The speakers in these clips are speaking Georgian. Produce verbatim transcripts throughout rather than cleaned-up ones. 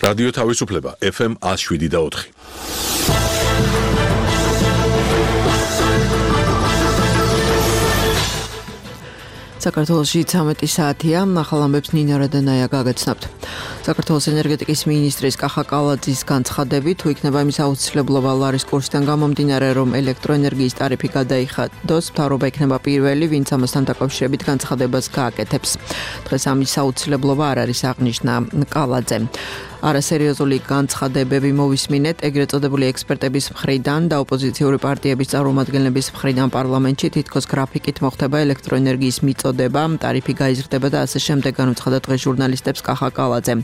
რადიო თავისუფლება ეფ ემ one oh seven და four. საქართველოში ცამეტი საათია, ახალ ამბებს ნინა რადანაია გაგაცნობთ. საქართველოს ენერგეტიკის მინისტრის კახა კალაძის განცხადებით, თუ იქნება იმის აუცილებლობა ლარის კურსიდან გამომდინარე, რომ ელექტროენერგიის ტარიფი გადაიხადოს, მთავრობა იქნება პირველი, ვინც ამასთან დაკავშირებით განცხადებას გააკეთებს. დღეს ამის აუცილებლობა არ არის აღნიშნა კალაძემ. არასერიოზული განცხადებები მოვისმინეთ ეგრეთ წოდებული ექსპერტების მხრიდან და ოპოზიციური პარტიების წარმომადგენლების მხრიდან პარლამენტში თითქოს გრაფიკით მოხდება ელექტროენერგიის მიწოდება, ტარიფი გაიზრდება და ასე შემდეგ განუცხადა დღეს ჟურნალისტებს კახა კალაძემ.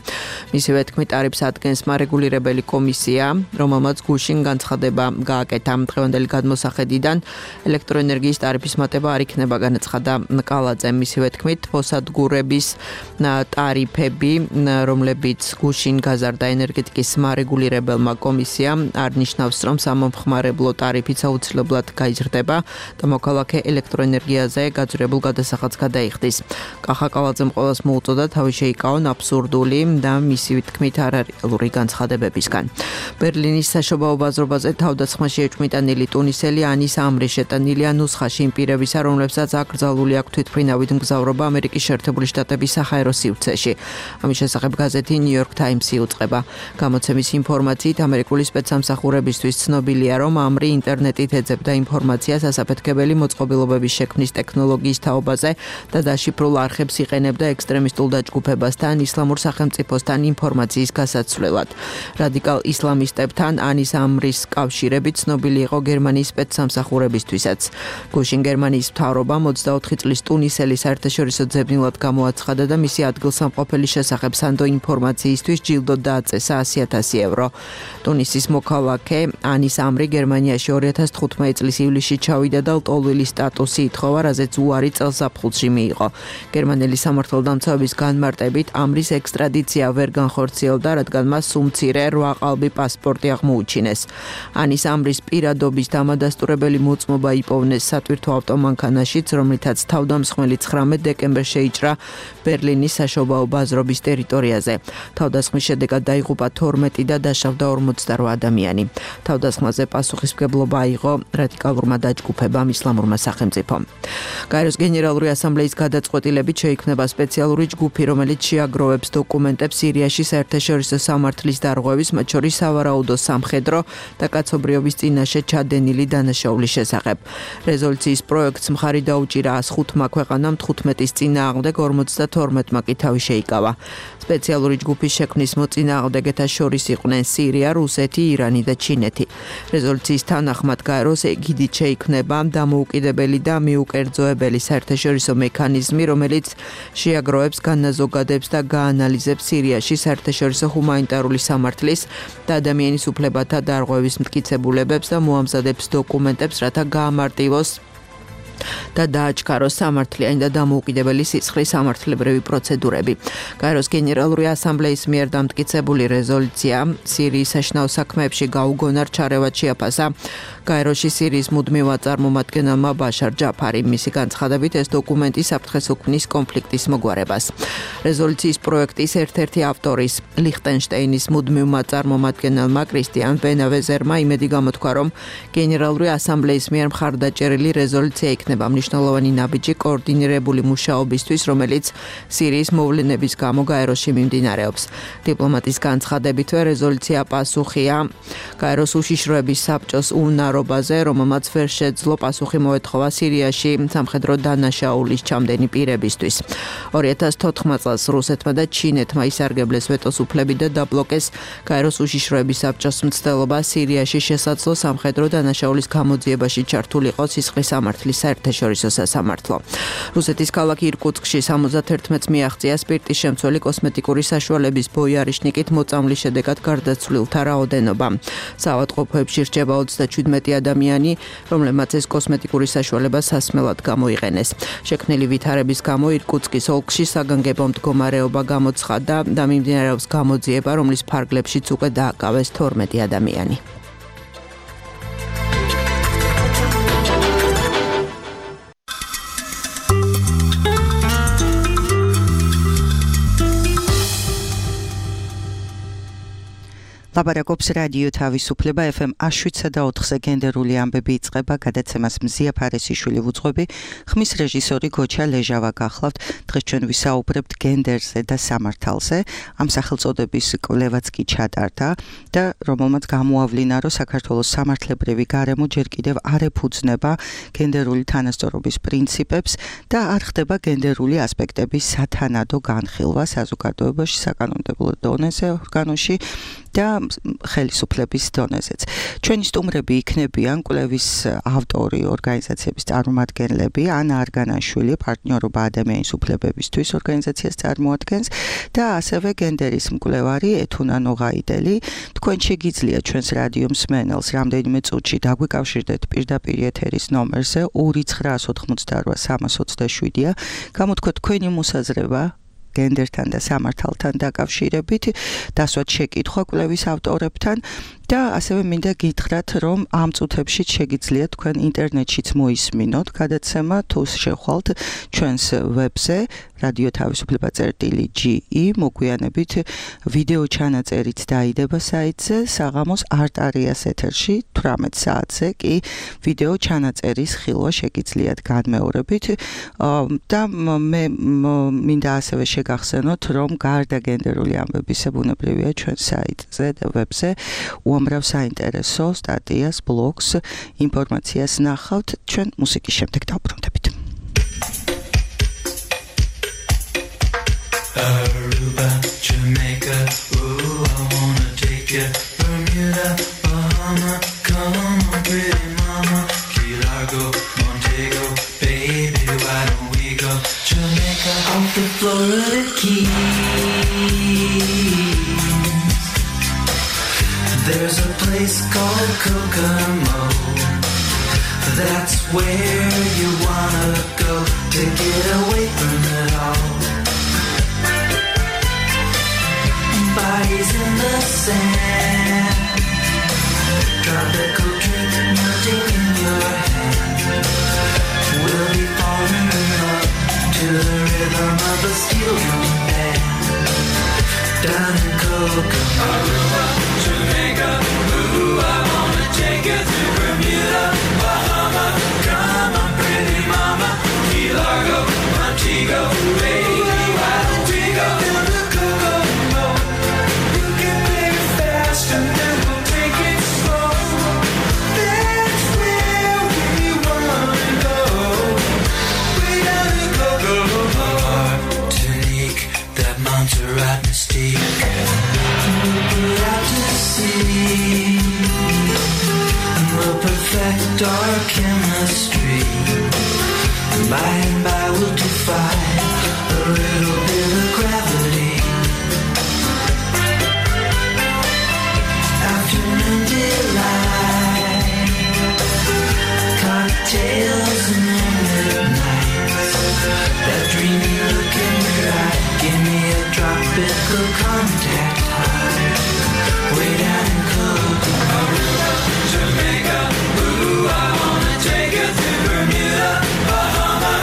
მისივე თქმით, ტარიფს ადგენს მარეგულირებელი კომისია, რომელმაც გუშინ განცხადება გააკეთა. დღევანდელი გადმოსახედიდან ელექტროენერგიის ტარიფის მატება არ იქნება, განაცხადა კალაძემ. მისივე თქმით, ფოსადგურების ტარიფები, რომლებიც გუშინ გაზარდა ენერგეტიკის მარეგულირებელმა კომისიამ, არ ნიშნავს, რომ სამომხმარებლო ტარიფიც აუცილებლად გაიზრდება და მოქალაქე ელექტროენერგიაზე გაძვირებულ გადასახადს გადაიხდის. კახა კალაძემ ყველას მოუწოდა თავი შეიკავონ აბსურდული და მისი თქმით არარეალური განცხადებებისგან. ბერლინის საშობაო ბაზრობაზე თავდასხმაში ეჭვმიტანილი ტუნისელი ანის ამრი შეტანილია ნუსხაში იმ პირებისა, რომლებსაც აკრძალული აქვს თვითმფრინავით მგზავრობა ამერიკის შეერთებული შტატების საჰაერო სივრცეში. ამის შესახებ გაზეთი New York Times იუწყება. გამოცემის ინფორმაციით, ამერიკული სპეცსამსახურებისთვის ცნობილია, რომ ამრი ინტერნეტით ეძებდა ინფორმაციას ასაფეთქებელი მოწყობილობების შექმნის ტექნოლოგიის თაობაზე და დაშიფრულ არხებს იყენებდა ექსტრემისტულ დაჯგუფებასთან, ისლამურ სახელმწიფოსთან ინფორმაციის გასაცვლელად. რადიკალ ისლამისტებთან ანის ამრის კავშირები ცნობილი იყო გერმანიის სპეცსამსახურებისთვისაც. გუშინ გერმანიის მთავრობამ ოცდაოთხი წლის ტუნისელი საერთაშორისო ძებნილად გამოაცხადა და მისი ადგილსამყოფელი შესახებ სანდო ინფორმაციისთვის ჯილდო დააწესა one hundred thousand ევრო. ტუნისის მოქალაქე ანის ამრი გერმანიაში ორი ათას თხუთმეტი წლის ივლისში ჩავიდა და ლტოლვილის სტატუსი ითხოვა, რაზეც უარი წელსაფხულში მიიღო. გერმანელი სამართალდამცავების განმარტებით ამრის ექსტრადიცია ვერ განხორციელდა, რადგან მას სუმცირე რვა ყალბი პასპორტი აღმოუჩინეს. ანის ამრის პირადობის დამადასტურებელი მოწმობა იპოვნეს სატვირთო ავტომანქანაშიც, რომლითაც თავდამსხმელი ცხრამეტ დეკემბერს შეიჭრა ბერლინის საშობაო ბაზრობის ტერიტორიაზე. თავდასხმის შედეგად დაიღუპა თორმეტი და დაშავდა ორმოცდარვა ადამიანი. თავდასხმაზე პასუხისმგებლობა აიღო რადიკალურმა დაჯგუფებამ ისლამურმა სახელმწიფომ. გაეროს გენერალური ასამბლეის გადაწყვეტილებით შეიქმნება სპეციალური ჯგუფი, რომელიც შეაგროვებს დოკუმენტებს სირიაში საერთაშორისო სამართლის დარღვევის, მათ შორის სავარაუდო სამხედრო და კაცობრიობის წინაშე ჩადენილი დანაშაულის შესახებ. რეზოლუციის პროექტს მხარი დაუჭირა one oh five ქვეყანამ თხუთმეტის წინააღმდეგ ორმოცდათორმეტმა კი თავი შეიკავა. სპეციალური ჯგუფის შექმნის მოწინააღმდეგეთა შორის იყვნენ სირია, რუსეთი, ირანი და ჩინეთი. რეზოლუციის თანახმად გაეროს ეგიდით შეიქმნება დამოუკიდებელი და მიუკერძოებელი საერთაშორისო მექანიზმი, რომელიც შეაგროვებს, განაზოგადებს და გაანალიზებს სირიაში საერთაშორისო ჰუმანიტარული სამართლის და ადამიანის უფლებათა დარღვევის მტკიცებულებებს და მოამზადებს დოკუმენტებს, რათა გაამარტივოს და დააჩქაროს სამართლიანი და დამოუკიდებელი სისხლის სამართლებრივი პროცედურები. გაეროს გენერალური ასამბლეის მიერ დამტკიცებული რეზოლუცია სირიის საშინაო საქმეებში გაუგონარ ჩარევად შეაფასა გაეროში სირიის მუდმივ წარმომადგენელმა ბაშარ ჯაფარი. მისი განცხადებით, ეს დოკუმენტი საფრთხეს უქმნის კონფლიქტის მოგვარებას. რეზოლუციის პროექტის ერთ-ერთი ავტორის ლიხტენშტეინის მუდმივმა წარმომადგენელმა კრისტიან ვენავეზერმა იმედი გამოთქვა, რომ გენერალური ასამბლეის მიერ მხარდაჭერილი რეზოლუცია იქნება მნიშვნელოვანი ნაბიჯი კოორდინირებული მუშაობისთვის, რომელიც სირიის მოვლენების გამო გაეროში მიმდინარეობს. დიპლომატის განცხადებითვე რეზოლუცია პასუხია გაეროს უშიშროების საბჭოს უნარობაზე, რომელმაც ვერ შეძლო პასუხი მოეთხოვა სირიაში სამხედრო დანაშაულის ჩამდენი პირებისთვის. ორი ათას თოთხმეტ წელს რუსეთმა და ჩინეთმა ისარგებლეს ვეტოს უფლები და დაბლოკეს გაეროს უშიშროების საბჭოს მცდელობა სირიაში შესაძლო სამხედრო დანაშაულის გამოძიებაში ჩართულიყო სისხლის სამართლის საერთაშორისო სასამართლო. რუსეთის ქალაქ ირკუტსკში სამოცდაერთს მიაღწია სპირტის შემცველი კოსმეტიკური საშუალების ბოიარიშნიკით მოწამვლის შედეგად გარდაცვლილთა რაოდენობა. საავადმყოფოებში რჩება ოცდაჩვიდმეტი ადამიანი, რომლებმაც ეს კოსმეტიკური საშუალება სასმელად გამოიყენეს. შექმნილი ვითარების გამო ირკუტსკის ოლქში საგანგებო მდგომარეობა გამოცხადდა და მიმდინარეობს გამოძიება, რომლის ფარგლებშიც უკვე დააკავეს თორმეტი ადამიანი. ლაპარაკობს რადიო თავისუფლება ეფ ემ შვიდსა და ოთხზე გენდერული ამბები იწყება, გადაცემას მზია ფარესიშვილი ვუძღვები, ხმის რეჟისორი გოჩა ლეჟავა გახლავთ. დღეს ჩვენ ვისაუბრებთ გენდერზე და სამართალზე. ამ სახელწოდების კვლევაც კი ჩატარდა და რომელმაც გამოავლინა, რომ საქართველოს სამართლებრივი გარემო ჯერ კიდევ არ ეფუძნება გენდერული თანასწორობის პრინციპებს და არ ხდება გენდერული ასპექტების სათანადო განხილვა საზოგადოებაში, საკანონმდებლო დონეზე, ორგანოში და ხელისუფლების დონეზეც. ჩვენი სტუმრები იქნებიან კვლევის ავტორი, ორგანიზაციების წარმომადგენლები, ანა არგანაშვილი, პარტნიორობა ადამიანის უფლებებისთვის ორგანიზაციას წარმოადგენს და ასევე გენდერის მკვლევარი ეთუნა ნოღაიდელი. თქვენ შეგიძლიათ ჩვენს რადიო მსმენელს რამდენიმე წუთში დაგვიკავშირდეთ პირდაპირ ეთერის ნომერზე ორი ცხრა ოთხმოცდაოთხ სამას ოცდაშვიდია. გამოთქვათ თქვენი მოსაზრება გენდერთან და სამართალთან დაკავშირებით, დასვათ შეკითხვა კვლევის ავტორებთან და ასევე მინდა გითხრათ, რომ ამ წუთებში შეგიძლიათ თქვენ ინტერნეტშიც მოისმინოთ გადაცემა, თუ შეხვალთ ჩვენს ვებზე რადიო თავისუფლება წერტილი ჯი ი, მოგვიანებით ვიდეო ჩანაწერიც დაიდება საიტზე, საღამოს არტარიას ეთერში თვრამეტ საათზე კი ვიდეო ჩანაწერის ხილვა შეგიძლიათ განმეორებით და მე მინდა ასევე შეგახსენოთ, რომ გარდა გენდერული ამბებისა ბუნებრივია ჩვენ საიტზე და ვებზე უამრავ საინტერესო სტატიას, ბლოგს, ინფორმაციას ნახავთ. ჩვენ მუსიკის შემდეგ დავბრუნდებით. Aruba, Jamaica, ooh, I wanna take you. Bermuda, Bahama, come on, pretty mama. Key Largo, Montego, baby, why don't we go? Jamaica, off the Florida Keys. There's a place called Kokomo. That's where you wanna go to get away from it all. Bodies in the sand, tropical drink melting in your hand. We'll be falling in love to the rhythm of a steel drum band. Down in Kokomo, Jamaica, ooh, I wanna take you to Bermuda, Bahama, come on, pretty mama, Key Largo, Montego, baby, why don't we go to the Kokomo? You can make it fast and then we'll take it slow. That's where we wanna go. Way down in Kokomo. Martinique, that Montserrat mystique. We'll put out to sea. We'll perfect our chemistry. By and by we'll defy a little bit of gravity. Afternoon delight, cocktails and moonlit nights. That dreamy look in your eye, give me a tropical contact high. Way down in Kokomo, Jamaica, ooh, I wanna take you to Bermuda, Bahama,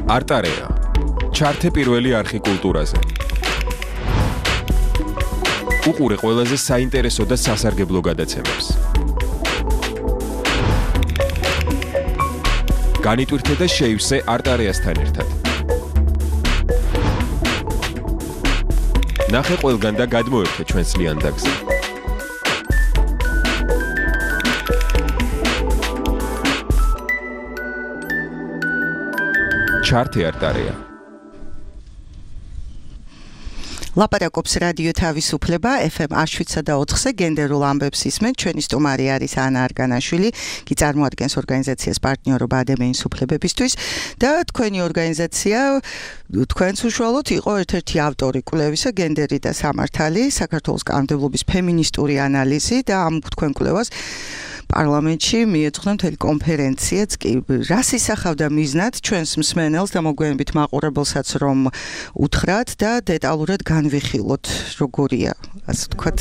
არტარეა. ჩართე პირველი არხი კულტურაზე. უყურე ყველაზე საინტერესო და სასარგებლო გადაცემებს. განიტვირთე და შეივსე არტარეასთან ერთად. ნახე ყველგან და გადმოერთე ჩვენს ლიანდაგზე. ჩართე არტარეა. ლაპარაკობს რადიო თავისუფლება ეფ ემ შვიდსა და ოთხზე გენდერულ ამბებს ისმენ. ჩვენი სტუმარი არის ანა არგანაშვილი, კი წარმოადგენს ორგანიზაციას პარტნიორობა ადამიანის უფლებებისთვის და თქვენი ორგანიზაცია თქვენს უშუალოდ იყო ერთ-ერთი ავტორი კვლევისა გენდერი და სამართალი, საქართველოს კანონმდებლობის ფემინისტური ანალიზი და ამ თქვენ კვლევას პარლამენტში მიეძღვნა მთელი კონფერენციაც კი რას ისახავდა მიზნად ჩვენს მსმენელს და მოგვიანებით მაყურებელსაც რომ უთხრათ და დეტალურად განვიხილოთ როგორია ასე ვთქვათ.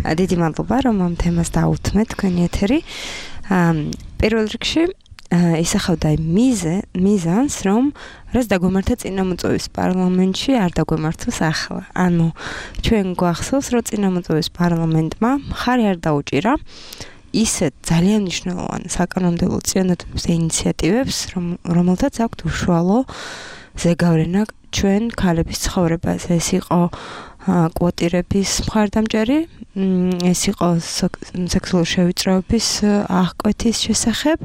დიდი მადლობა რომ ამ თემას დაუთმეთ თქვენი ეთერი. პირველ რიგში ისახავდა მიზე მიზანს რომ რაც დაგვემართა წინამოწვევის პარლამენტში არ დაგვემართოს ახლა. ანუ ჩვენ გვახსოვს რომ წინამოწვევის პარლამენტმა მხარი არ დაუჭირა ისეთ ძალიან მნიშვნელოვან საკანონმდებლო წინადადების ინიციატივებს რომელთაც აქვთ უშუალო ზეგავლენა ჩვენ ქალების ცხოვრებაზე. ეს იყო კვოტირების მხარდამჭერი, ეს იყო სექსუალური შევიწროების აღკვეთის შესახებ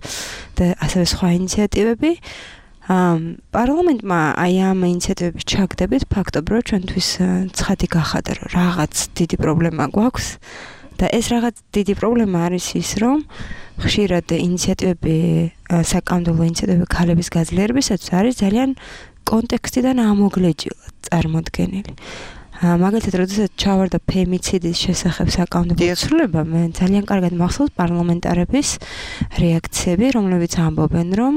და ასევე სხვა ინიციატივები. პარლამენტმა აი ამ ინიციატივების ჩაგდებით ფაქტობრივად ჩვენთვის ცხადი გახადა რომ რაღაც დიდი პრობლემა გვაქვს და ეს რაღაც დიდი პრობლემა არის ის რომ ხშირად ინიციატივები საკანონმდებლო ინიციატივები ქალების გაძლიერებისათვის არის ძალიან კონტექსტიდან ამოგლეჯილად წარმოდგენილი. მაგალითად, როდესაც ჩავარდა ფემიციდის შესახებ საკანონმდებლო ცვლილება, მე ძალიან კარგად მახსოვს პარლამენტარების რეაქციები, რომლებიც ამბობენ, რომ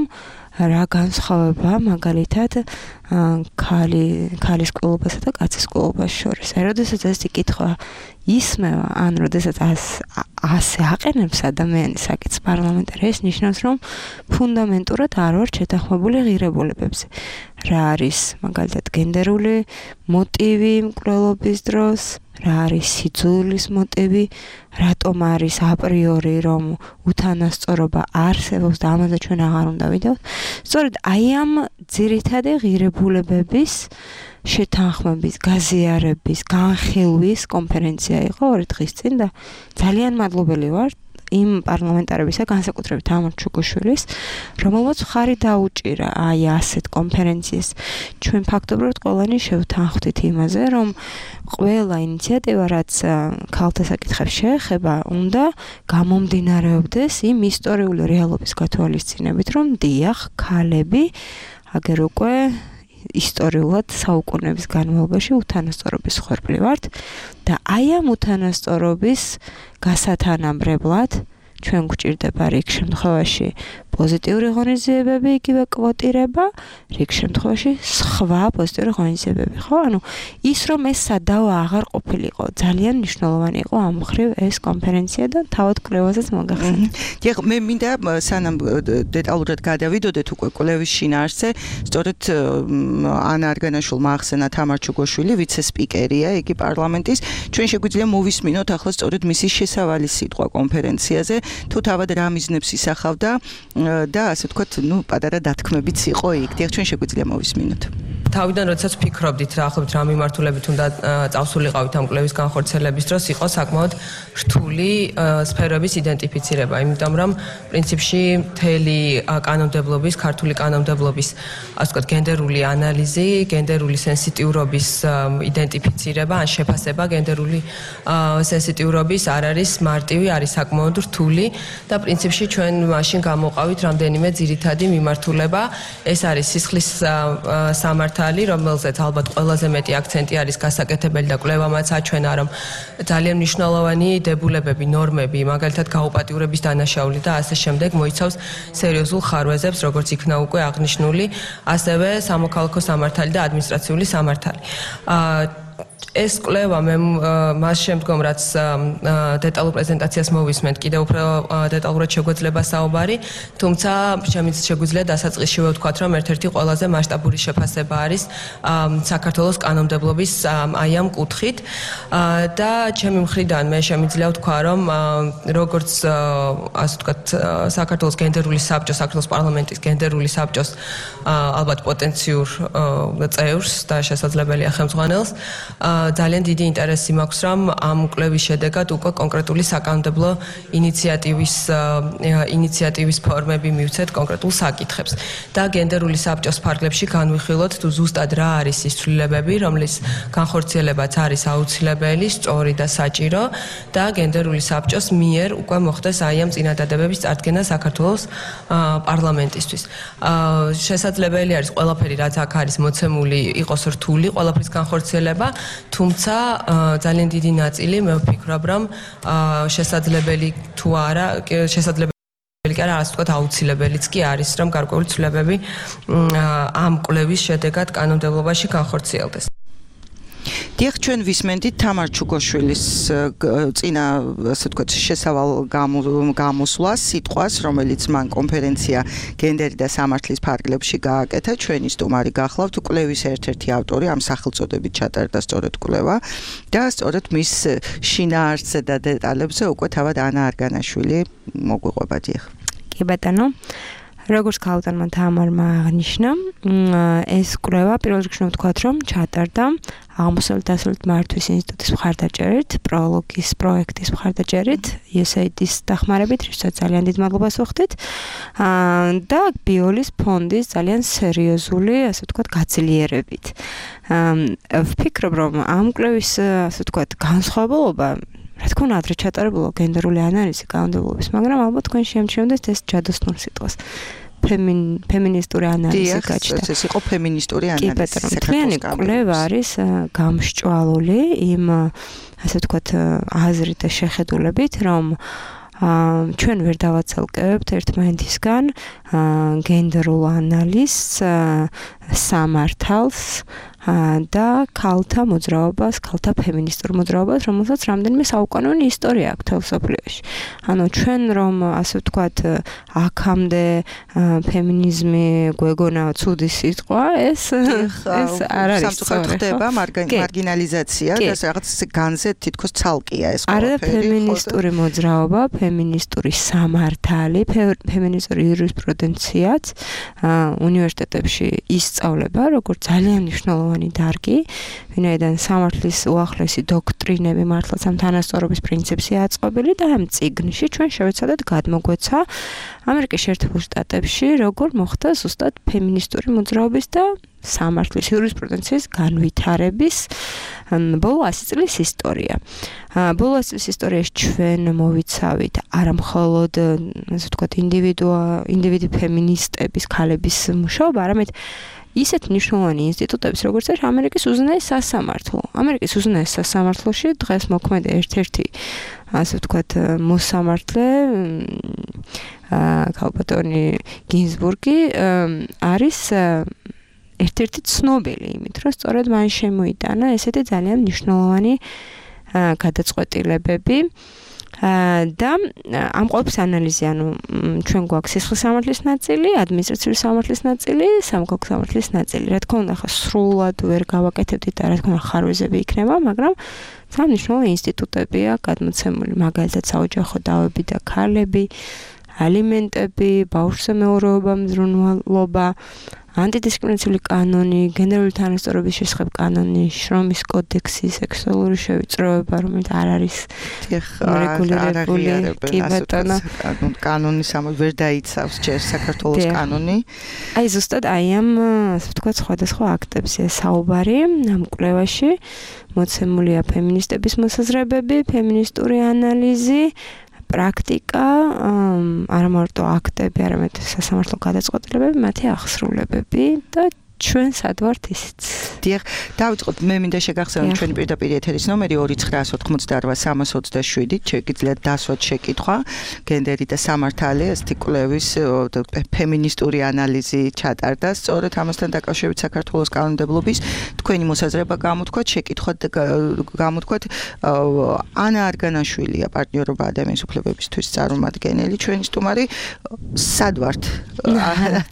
რა განსხვავება მაგალითად ქალი ქალის კვლევასა და კაცის კვლევას შორის. აი, როდესაც ეს კითხვა ისმევა, ან როდესაც ასე აყენებს ადამიანი საკითხს პარლამენტარი, ეს ნიშნავს, რომ ფუნდამენტურად არ ვარ შეთანხმებული ღირებულებებზე. რა არის მაგალითად გენდერული მოტივი მკვლელობის დროს, რა არის სიძულვის მოტივი, რატომ არის აპრიორი რომ უთანასწორობა არსებობს და ამაზე ჩვენ აღარ უნდა ვიდევთ. სწორედ აი ამ ძირითადი ღირებულებების შეთანხმების, გაზიარების, განხილვის კონფერენცია იყო ორი დღის წინ და ძალიან მადლობელი ვარ იმ პარლამენტარებისა, განსაკუთრებით ამორ ჩუგუშვილის, რომელმაც ხარი დაუჭირა აი ასეთ კონფერენციას. ჩვენ ფაქტობრივად ყველანი შევთანხმდით იმაზე, რომ ყველა ინიციატივა, რაც ქალთა საკითხებს შეეხება, უნდა გამომდინარეობდეს იმ ისტორიული რეალობის გათვალისწინებით, რომ დიახ, ქალები აგერ უკვე ისტორიულად საუკუნეების განმავლობაში უთანასწორობის ხვერპლი ვართ და აი ამ უთანასწორობის გასათანაბრებლად ჩვენ გვჭირდება რიგ შემთხვევაში პოზიტიური ღონისძიებები, იგივე კვოტირება, რიგ შემთხვევაში სხვა პოზიტიური ღონისძიებები, ხო? ანუ ის რომ ეს სადავო აღარ ყოფილიყო, ძალიან მნიშვნელოვანი იყო ამ მხრივ ეს კონფერენცია და თავად კვლევაზეც მოგახსენეთ. დიახ, მე მინდა სანამ დეტალურად გადავიდოდეთ უკვე კვლევის შინაარსზე, სწორედ ანა არგანაშვილმა ახსენა თამარ ჩუგოშვილი, ვიცე-სპიკერია იგი პარლამენტის. ჩვენ შეგვიძლია მოვისმინოთ ახლა სწორედ მისი შესავალი სიტყვა კონფერენციაზე, თუ თავად რა მიზნებს ისახავდა და ასე ვთქვათ, ნუ პატარა დათქმებიც იყო იქ. დიახ, ჩვენ შეგვიძლია მოვისმინოთ. თავიდან როდესაც ფიქრობდით რა ახლობთ რა მიმართულებით უნდა წავსულიყავით ამ კვლევის განხორციელების დროს იყო საკმაოდ რთული სფეროების იდენტიფიცირება, იმიტომ რომ პრინციპში მთელი კანონმდებლობის, ქართული კანონმდებლობის, ასე ვთქვათ, გენდერული ანალიზი, გენდერული სენსიტიურობის იდენტიფიცირება, ან შეფასება გენდერული სენსიტიურობის არ არის მარტივი, არის საკმაოდ რთული და პრინციპში ჩვენ მაშინ გამოვყავით რამდენიმე ძირითადი მიმართულება. ეს არის სისხლის სამართალი, რომელზეც ალბათ ყველაზე მეტი აქცენტი არის გასაკეთებელი და კვლევამაც აჩვენა, რომ ძალიან მნიშვნელოვანი დებულებები, ნორმები, მაგალითად გაუპატიურების დანაშაული და ასე შემდეგ მოიცავს სერიოზულ ხარვეზებს, როგორც იქნა უკვე აღნიშნული, ასევე სამოქალაქო სამართალი და ადმინისტრაციული სამართალი. ეს კვლევა მე მას შემდგომ რაც დეტალურ პრეზენტაციას მოვისმენთ კიდევ უფრო დეტალურად შეგვეძლება საუბარი, თუმცა შემიძლია შეგვიძლია დასაწყისშივე ვთქვათ, რომ ერთ-ერთი ყველაზე მასშტაბური შეფასება არის საქართველოს კანონმდებლობის აი ამ კუთხით და ჩემი მხრიდან მე შემიძლია ვთქვა, რომ როგორც ასე ვთქვათ საქართველოს გენდერული საბჭო, საქართველოს პარლამენტის გენდერული საბჭოს ალბათ პოტენციურ წევრს და შესაძლებელია ხელმძღვანელს ძალიან დიდი ინტერესი მაქვს, რომ ამ კვლევის შედეგად უკვე კონკრეტული საკანონმდებლო ინიციატივის ინიციატივის ფორმები მივცეთ კონკრეტულ საკითხებს და გენდერული საბჭოს ფარგლებში განვიხილოთ თუ ზუსტად რა არის ის ცვლილებები, რომლის განხორციელებაც არის აუცილებელი, სწორი და საჭირო და გენდერული საბჭოს მიერ უკვე მოხდეს აი ამ წინადადებების წარდგენა საქართველოს პარლამენტისთვის. შესაძლებელი არის ყველაფერი, რაც აქ არის მოცემული, იყოს რთული, ყველაფრის განხორციელება, თუმცა ძალიან დიდი ნაწილი მე ვფიქრობ, რომ შესაძლებელი თუ არა, შესაძლებელი კი არა, ასე ვთქვათ, აუცილებელიც კი არის, რომ გარკვეული ცვლილებები ამ კვლევის შედეგად კანონმდებლობაში განხორციელდეს. დიახ, ჩვენ ვისმენთ თამარ ჩუგოშვილის წინა, ასე ვთქვათ, შესავალ გამოსვლას, სიტყვას, რომელიც მან კონფერენცია გენდერი და სამართლის ფარგლებში გააკეთა. ჩვენი სტუმარი გახლავთ კვლევის ერთ-ერთი ავტორი, ამ სახელწოდებით ჩატარდა სწორედ კვლევა და სწორედ მის შინაარსზე და დეტალებზე უკვე თავად ანა არგანაშვილი მოგვიყვება. დიახ. კი ბატონო. როგორც ქალბატონმა თამარმა აღნიშნა, ეს კვლევა პირველ რიგში ვთქვათ, რომ ჩატარდა აღმოსავლეთ დასავლეთ მართვის ინსტიტუტის მხარდაჭერით, პროლოგის პროექტის მხარდაჭერით, იუ ეს έი აი-დის დახმარებით, რითაც ძალიან დიდ მადლობას ვუხდით. და ბიოლის ფონდის ძალიან სერიოზული, ასე ვთქვათ, გაძლიერებით. ვფიქრობ, რომ ამ კვლევის, ასე ვთქვათ, განსხვავებულობა რა თქმა უნდა, ადრე ჩატარებულა გენდერული ანალიზი კანონმდებლობის, მაგრამ ალბათ თქვენ შეამჩნევთ ეს ჯადოსნურ სიტყვას. ფემინისტური ანალიზი გაჩნდა. ეს იყო ფემინისტური ანალიზი. კი, ბატონო, მთლიანი კვლევა არის გამსჭვალული იმ, ასე ვთქვათ, აზრით და შეხედულებით, რომ ჩვენ ვერ დავაცალკევებთ ერთმანეთისგან გენდერულ ანალიზს, სამართალს და ქალთა მოძრაობას, ქალთა ფემინისტურ მოძრაობას, რომელსაც რამდენიმე საუკანონო ისტორია აქვს თელ მსოფლიოში. ანუ ჩვენ რომ ასე ვთქვათ, აქამდე ფემინიზმი გვეგონა ცუდი სიტყვა, ეს ეს არ არის სწორი. ხდება მარგინალიზაცია და რაღაც განზე თითქოს ცალკეა ეს ყველაფერი. არა, ფემინისტური მოძრაობა, ფემინისტური სამართალი, ფემინისტური იურისპრუდენციაც უნივერსიტეტებში ისწავლება, როგორც ძალიან მნიშვნელოვანი დარგი, ვინაიდან სამართლის უახლესი დოქტრინები მართლაც ამ თანასწორობის პრინციპსია აწყობილი და ამ წიგნში ჩვენ შევეცადეთ გადმოგვეცა ამერიკის შეერთებულ შტატებში როგორ მოხდა ზუსტად ფემინისტური მოძრაობის და სამართლის იურისპრუდენციის განვითარების ბოლო ასი წლის ისტორია. ბოლო ასი წლის ისტორიაში ჩვენ მოვიცავით არა მხოლოდ, ასე ვთქვათ, ინდივიდი ფემინისტების, ქალების მუშაობა, არამედ ისეთ მნიშვნელოვანი ინსტიტუტების, როგორც არის ამერიკის უზენაეს სასამართლო. ამერიკის უზენაეს სასამართლოში დღეს მოქმედი ერთ-ერთი, ასე ვთქვათ, მოსამართლე ქალბატონი გინზბურგი არის ერთ-ერთი ცნობილი იმით, რომ სწორედ მან შემოიტანა ესეთი ძალიან მნიშვნელოვანი გადაწყვეტილებები და ამ ყოველფრის ანალიზი, ანუ ჩვენ გვაქვს სისხლის სამართლის ნაწილი, ადმინისტრაციული სამართლის ნაწილი, სამოქალაქო სამართლის ნაწილი. რა თქმა უნდა, ხა სრულად ვერ გავაკეთებდით და რა თქმა უნდა ხარვეზები იქნება, მაგრამ ძალიან მნიშვნელოვანი ინსტიტუტებია გადმოცემული, მაგალითად საოჯახო დავები და ქალები, ალიმენტები, ბავშვზე მეურვეობა, მზრუნველობა, ანტიდისკრიმინაციული კანონი, გენდერული თანასწორობის შესახებ კანონი, შრომის კოდექსი, სექსუალური შევიწროება, რომელიც არ არის რეგულირებული, კი ბატონო, კანონის ამ ვერ დაიცავს ჯერ საქართველოს კანონი. აი ზუსტად აი ამ, ასე ვთქვათ, სხვადასხვა აქტებზეა საუბარი ამ კვლევაში. მოცემულია ფემინისტების მოსაზრებები, ფემინისტური ანალიზი, პრაქტიკა, არა მარტო აქტები, არამედ სასამართლო გადაწყვეტილებები, მათი აღსრულებები და ჩვენ სად ვართ ისიც. დიახ, დავიწყოთ, მე მინდა შეგახსენოთ ჩვენი პირდაპირ ეთერის ნომერი ორი ცხრაას ოთხმოცდაარბა სამას ოცდაშვიდი, შეგიძლიათ დასვათ შეკითხვა, გენდერი და სამართალი, ასეთი კვლევის ფემინისტური ანალიზი ჩატარდა, სწორედ ამასთან დაკავშირებით საქართველოს კანონმდებლობის თქვენი მოსაზრება გამოთქვათ, შეკითხვათ გამოთქვათ ანა არგანაშვილია პარტნიორობა ადამიანის უფლებებისთვის წარმომადგენელი, ჩვენი სტუმარი, სად ვართ?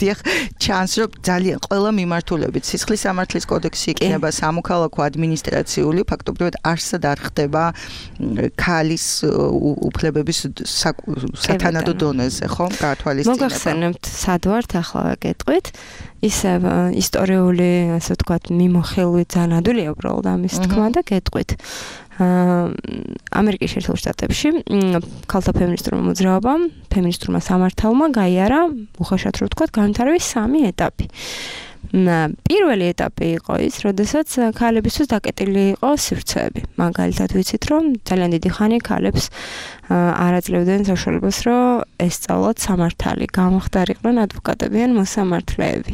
დიახ, ჩანს რომ ძალიან ყველა მიმართულებით სისხლის სამართლის კოდექსი იქნება სამოქალაქო ადმინისტრაციული, ფაქტობრივად არსად არ ხდება ქალის უფლებების სათანადო დონეზე, ხო? გათვალისწინება. მოგახსენებთ, სად ვართ ახლა გეტყვით? ისევ ისტორიული, ასე ვთქვათ, მიმოხილვით ძალიან ადვილია უბრალოდ ამის თქმა და გეტყვით. ამერიკის შეერთებულ შტატებში ქალთა ფემინისტურმა მოძრაობამ, ფემინისტურმა სამართალმა გაიარა, უხეშად რო ვთქვათ, განვითარების სამი ეტაპი. პირველი ეტაპი იყო ის, როდესაც ქალებისთვის დაკეტილი იყო სივრცეები. მაგალითად ვიცით, რომ ძალიან დიდი ხანი ქალებს არ აძლევდნენ საშუალებას, რომ ესწავლათ სამართალი, გამოხდარიყვნენ ადვოკატები ან მოსამართლეები.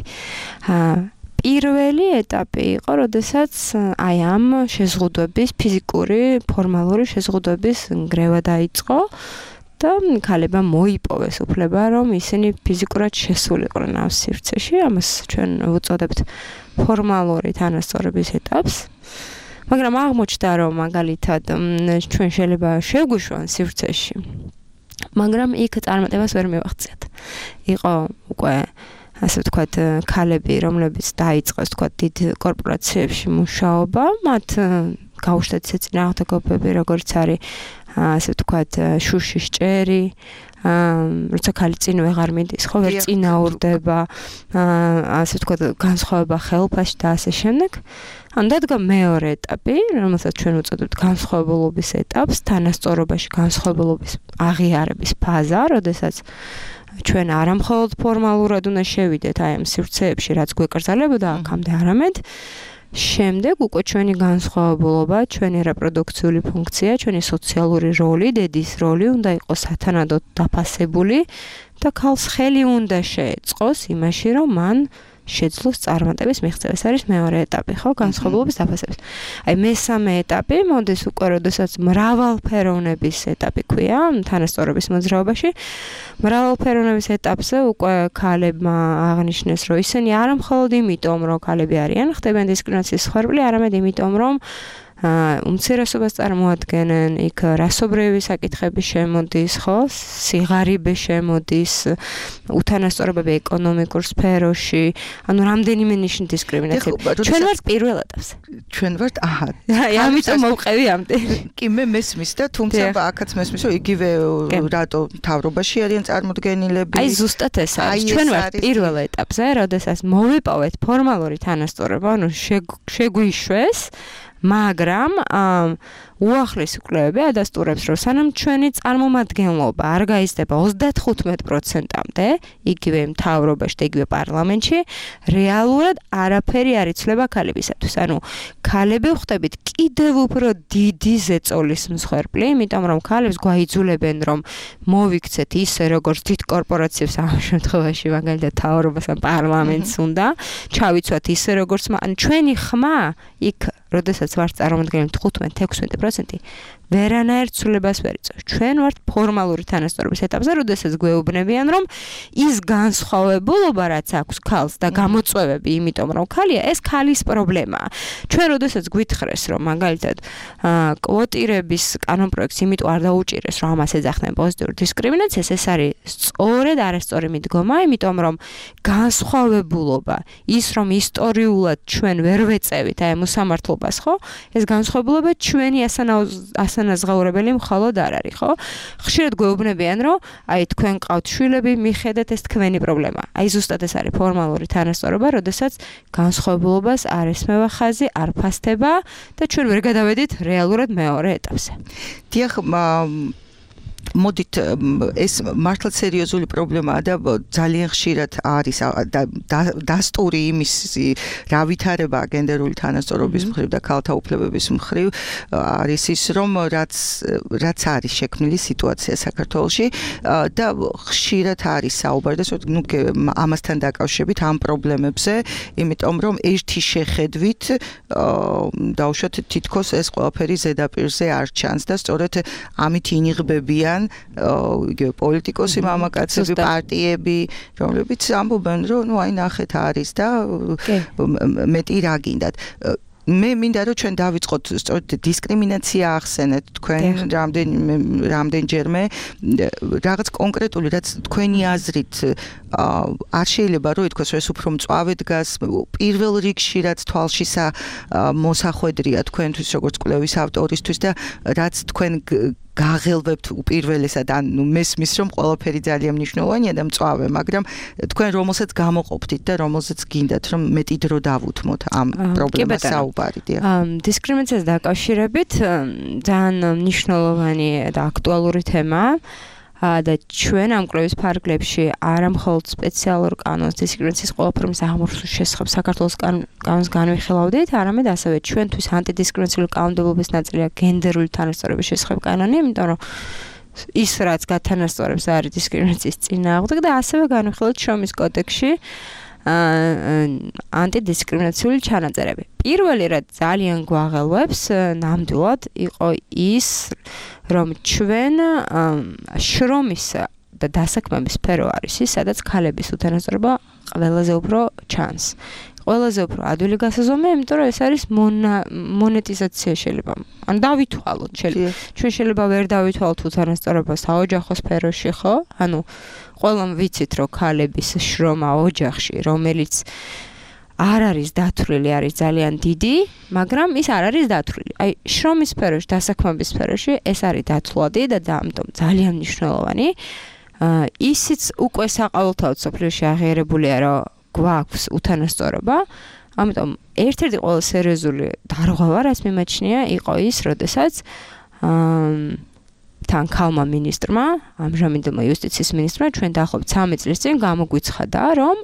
პირველი ეტაპი იყო, როდესაც აი ამ შეზღუდვების, ფიზიკური, ფორმალური შეზღუდვების ნგრევა დაიწყო და ქალებმა მოიპოვეს უფლება, რომ ისინი ფიზიკურად შესულიყვნენ ამ სივრცეში, ამას ჩვენ ვუწოდებთ ფორმალური თანასწორობის ეტაპს. მაგრამ აღმოჩნდა, რომ მაგალითად ჩვენ შეიძლება შევგვიშვან სივრცეში, მაგრამ იქ წარმატებას ვერ მივაღწიათ. იყო უკვე ასე ვთქვათ, ქალები, რომლებიც დაიწყეს, ვთქვათ, დიდ კორპორაციებში მუშაობა, მათ გაუშვათ ისე წინააღმდეგობები, როგორც არის ასე ვთქვათ, შუშის ჭერი, როცა ქალი წინ ვეღარ მიდის, ხო, ვერ წინაურდება, ასე ვთქვათ, განსხვავება ხელფასში და ასე შემდეგ. ან დადგა მეორე ეტაპი, რომელსაც ჩვენ ვუწოდებთ განსხვავებულობის ეტაპს, თანასწორობაში განსხვავებულობის აღიარების ფაზა, როდესაც ჩვენ არა მხოლოდ ფორმალურად უნდა შევიდეთ აი ამ სივრცეებში, რაც გვეკრძალებოდა აქამდე, არამედ შემდეგ უკვე ჩვენი განსხვავებულობა, ჩვენი რეპროდუქციული ფუნქცია, ჩვენი სოციალური როლი, დედის როლი უნდა იყოს სათანადოდ დაფასებული და ქალს ხელი უნდა შეეწყოს იმაში, რომ მან შეძლოს წარმატების მიღწევა. ეს არის მეორე ეტაპი, ხო, განსხვავებულობის დაფასების. აი მესამე ეტაპი მოდის უკვე, როდესაც მრავალფეროვნების ეტაპი ქვია თანასწორობის მოძრაობაში. მრავალფეროვნების ეტაპზე უკვე ქალებმა აღნიშნეს, რომ ისინი არა მხოლოდ იმიტომ, რომ ქალები არიან, ხდებიან დისკრიმინაციის მსხვერპლი, არამედ იმიტომ, რომ უმცირესობას წარმოადგენენ, იქ რასობრივი საკითხები შემოდის, ხო? სიღარიბე შემოდის, უთანასწორობები ეკონომიკურ სფეროში, ანუ რამდენიმე ნიშნის დისკრიმინაცია. ჩვენ ვართ პირველ ეტაპზე. ჩვენ ვართ, აჰა. აი, ამიტომ მოვყევი ამდენ. კი, მე მესმის და თუმცა აქაც მესმის, რომ იგივე რატო მთავრობაში არიან წარმოდგენილები. აი, ზუსტად ეს არის. ჩვენ ვართ პირველ ეტაპზე, როდესაც მოვიპოვეთ ფორმალური თანასწორობა, ანუ შეგვიშვეს, მაგრამ უახლესი კვლევები ადასტურებს, რომ სანამ ჩვენი წარმომადგენლობა არ გაიზრდება ოცდათხუთმეტ პროცენტამდე, იგივე მთავრობაში და იგივე პარლამენტში, რეალურად არაფერი არ იცვლება ქალებისათვის. ანუ ქალები ხვდებით კიდევ უფრო დიდი ზეწოლის მსხვერპლი, იმიტომ რომ ქალებს გვაიძულებენ, რომ მოვიქცეთ ისე, როგორც დიდ კორპორაციებს ამ შემთხვევაში, მაგალითად მთავრობას ან პარლამენტს უნდა, ჩავიცვათ ისე, როგორც ან ჩვენი ხმა იქ როდესაც ვართ წარმოადგენელი თხუთმეტ ექვსმეტ პროცენტი ვერანაირ ცვლილებას ვერ იწევს. ჩვენ ვართ ფორმალური თანასწორობის ეტაპზე, როდესაც გვეუბნებიან, რომ ის განსხვავებულობა, რაც აქვს ქალს და გამოწვევები, იმიტომ რომ ქალია, ეს ქალის პრობლემაა. ჩვენ როდესაც გვითხრეს, რომ მაგალითად კვოტირების კანონპროექტს იმიტომ არ დაუჭირეს, რომ ამას ეძახდნენ პოზიტიურ დისკრიმინაციას, ეს არის სწორედ არასწორი მიდგომა, იმიტომ რომ განსხვავებულობა, ის რომ ისტორიულად ჩვენ ვერ ვეწევით აი მოსამართლობას, ხო? ეს განსხვავებულობა ჩვენი ასანაზღაურებელი მხოლოდ არ არის, ხო? ხშირად გვეუბნებიან, რომ აი თქვენ ყავთ შვილები, მიხედეთ ეს თქვენი პრობლემა. აი ზუსტად ეს არის ფორმალური თანასწორობა, როდესაც განსხვავებულობას არ ესმევა ხაზი, არ ფასდება და ჩვენ ვერ გადავედით რეალურად მეორე ეტაპზე. დიახ, მოდით ეს მართლაც სერიოზული პრობლემაა და ძალიან ხშირად არის დასტური იმის რა ვითარება გენდერული თანასწორობის მხრივ და ქალთა უფლებების მხრივ არის ის რომ რაც რაც არის შექმნილი სიტუაცია საქართველოში და ხშირად არის საუბარი და ნუ ამასთან დაკავშირებით ამ პრობლემებზე იმიტომ რომ ერთი შეხედვით დაუშვათ თითქოს ეს ყველაფერი ზედაპირზე არ ჩანს და სწორედ ამით ინიღბებიან იგივე პოლიტიკოსი მამაკაცები, პარტიები, რომლებიც ამბობენ, რომ ნუ აი ნახეთ არის და მეტი რა გინდათ. მე მინდა რომ ჩვენ დავიწყოთ სწორედ დისკრიმინაცია ახსენეთ თქვენ რამდენ რამდენჯერმე რაღაც კონკრეტული რაც თქვენი აზრით არ შეიძლება რომ ითქვას ეს უფრო მწვავე დგას პირველ რიგში რაც თვალშისა მოსახვედრია თქვენთვის როგორც კვლევის ავტორისთვის და რაც თქვენ გაღელვებთ უპირველესად ან ნუ მესმის რომ ყველაფერი ძალიან მნიშვნელოვანია და მწვავე მაგრამ თქვენ რომელსაც გამოყოფთით და რომელსაც გინდათ რომ მეტი დრო დავუთმოთ ამ პრობლემას საუბარი დიახ დისკრიმინაციას დაკავშირებით ძალიან მნიშვნელოვანი და აქტუალური თემაა და ჩვენ ამ კვლევის ფარგლებში არა მხოლოდ სპეციალურ კანონს დისკრიმინაციის ყველა ფორმის აღმორჩევის შესახებ საქართველოს კანონს განვიხილავდით, არამედ ასევე ჩვენთვის ანტიდისკრიმინაციული კანონმდებლობის ნაწილია გენდერული თანასწორობის შესახებ კანონი, იმიტომ რომ ის რაც გათანასწორებს არის დისკრიმინაციის წინააღმდეგ და ასევე განვიხილავთ შრომის კოდექსში ანტიდისკრიმინაციული ჩანაწერები. პირველი რაც ძალიან გვაღელვებს ნამდვილად იყო ის რომ ჩვენ შრომის და დასაქმების სფერო არის ის, სადაც ქალების უთანასწორობა ყველაზე უფრო ჩანს. ყველაზე უფრო ადვილი გასაზომია, იმიტომ რომ ეს არის მონეტიზაცია შეიძლება. ან დავითვალოთ შეიძლება. ჩვენ შეიძლება ვერ დავითვალოთ უთანასწორობას საოჯახო სფეროში, ხო? ანუ ყველამ ვიცით, რომ ქალების შრომა ოჯახში, რომელიც არ არის დათვლილი, არის ძალიან დიდი, მაგრამ ის არ არის დათვლილი. აი, შრომის სფეროში, დასაქმების სფეროში ეს არის დათვლადი და ამიტომ ძალიან მნიშვნელოვანი. ისიც უკვე საყოველთაოდ სოფლიოში აღიარებულია, რომ გვაქვს უთანასწორობა. ამიტომ ერთ-ერთი ყველაზე სერიოზული დარღვევა, რაც მიმაჩნია, იყო ის, როდესაც თან ქალმა მინისტრმა, ამჟამინდელმა იუსტიციის მინისტრმა ჩვენ დაახლოებით სამი წლის წინ გამოგვიცხადა, რომ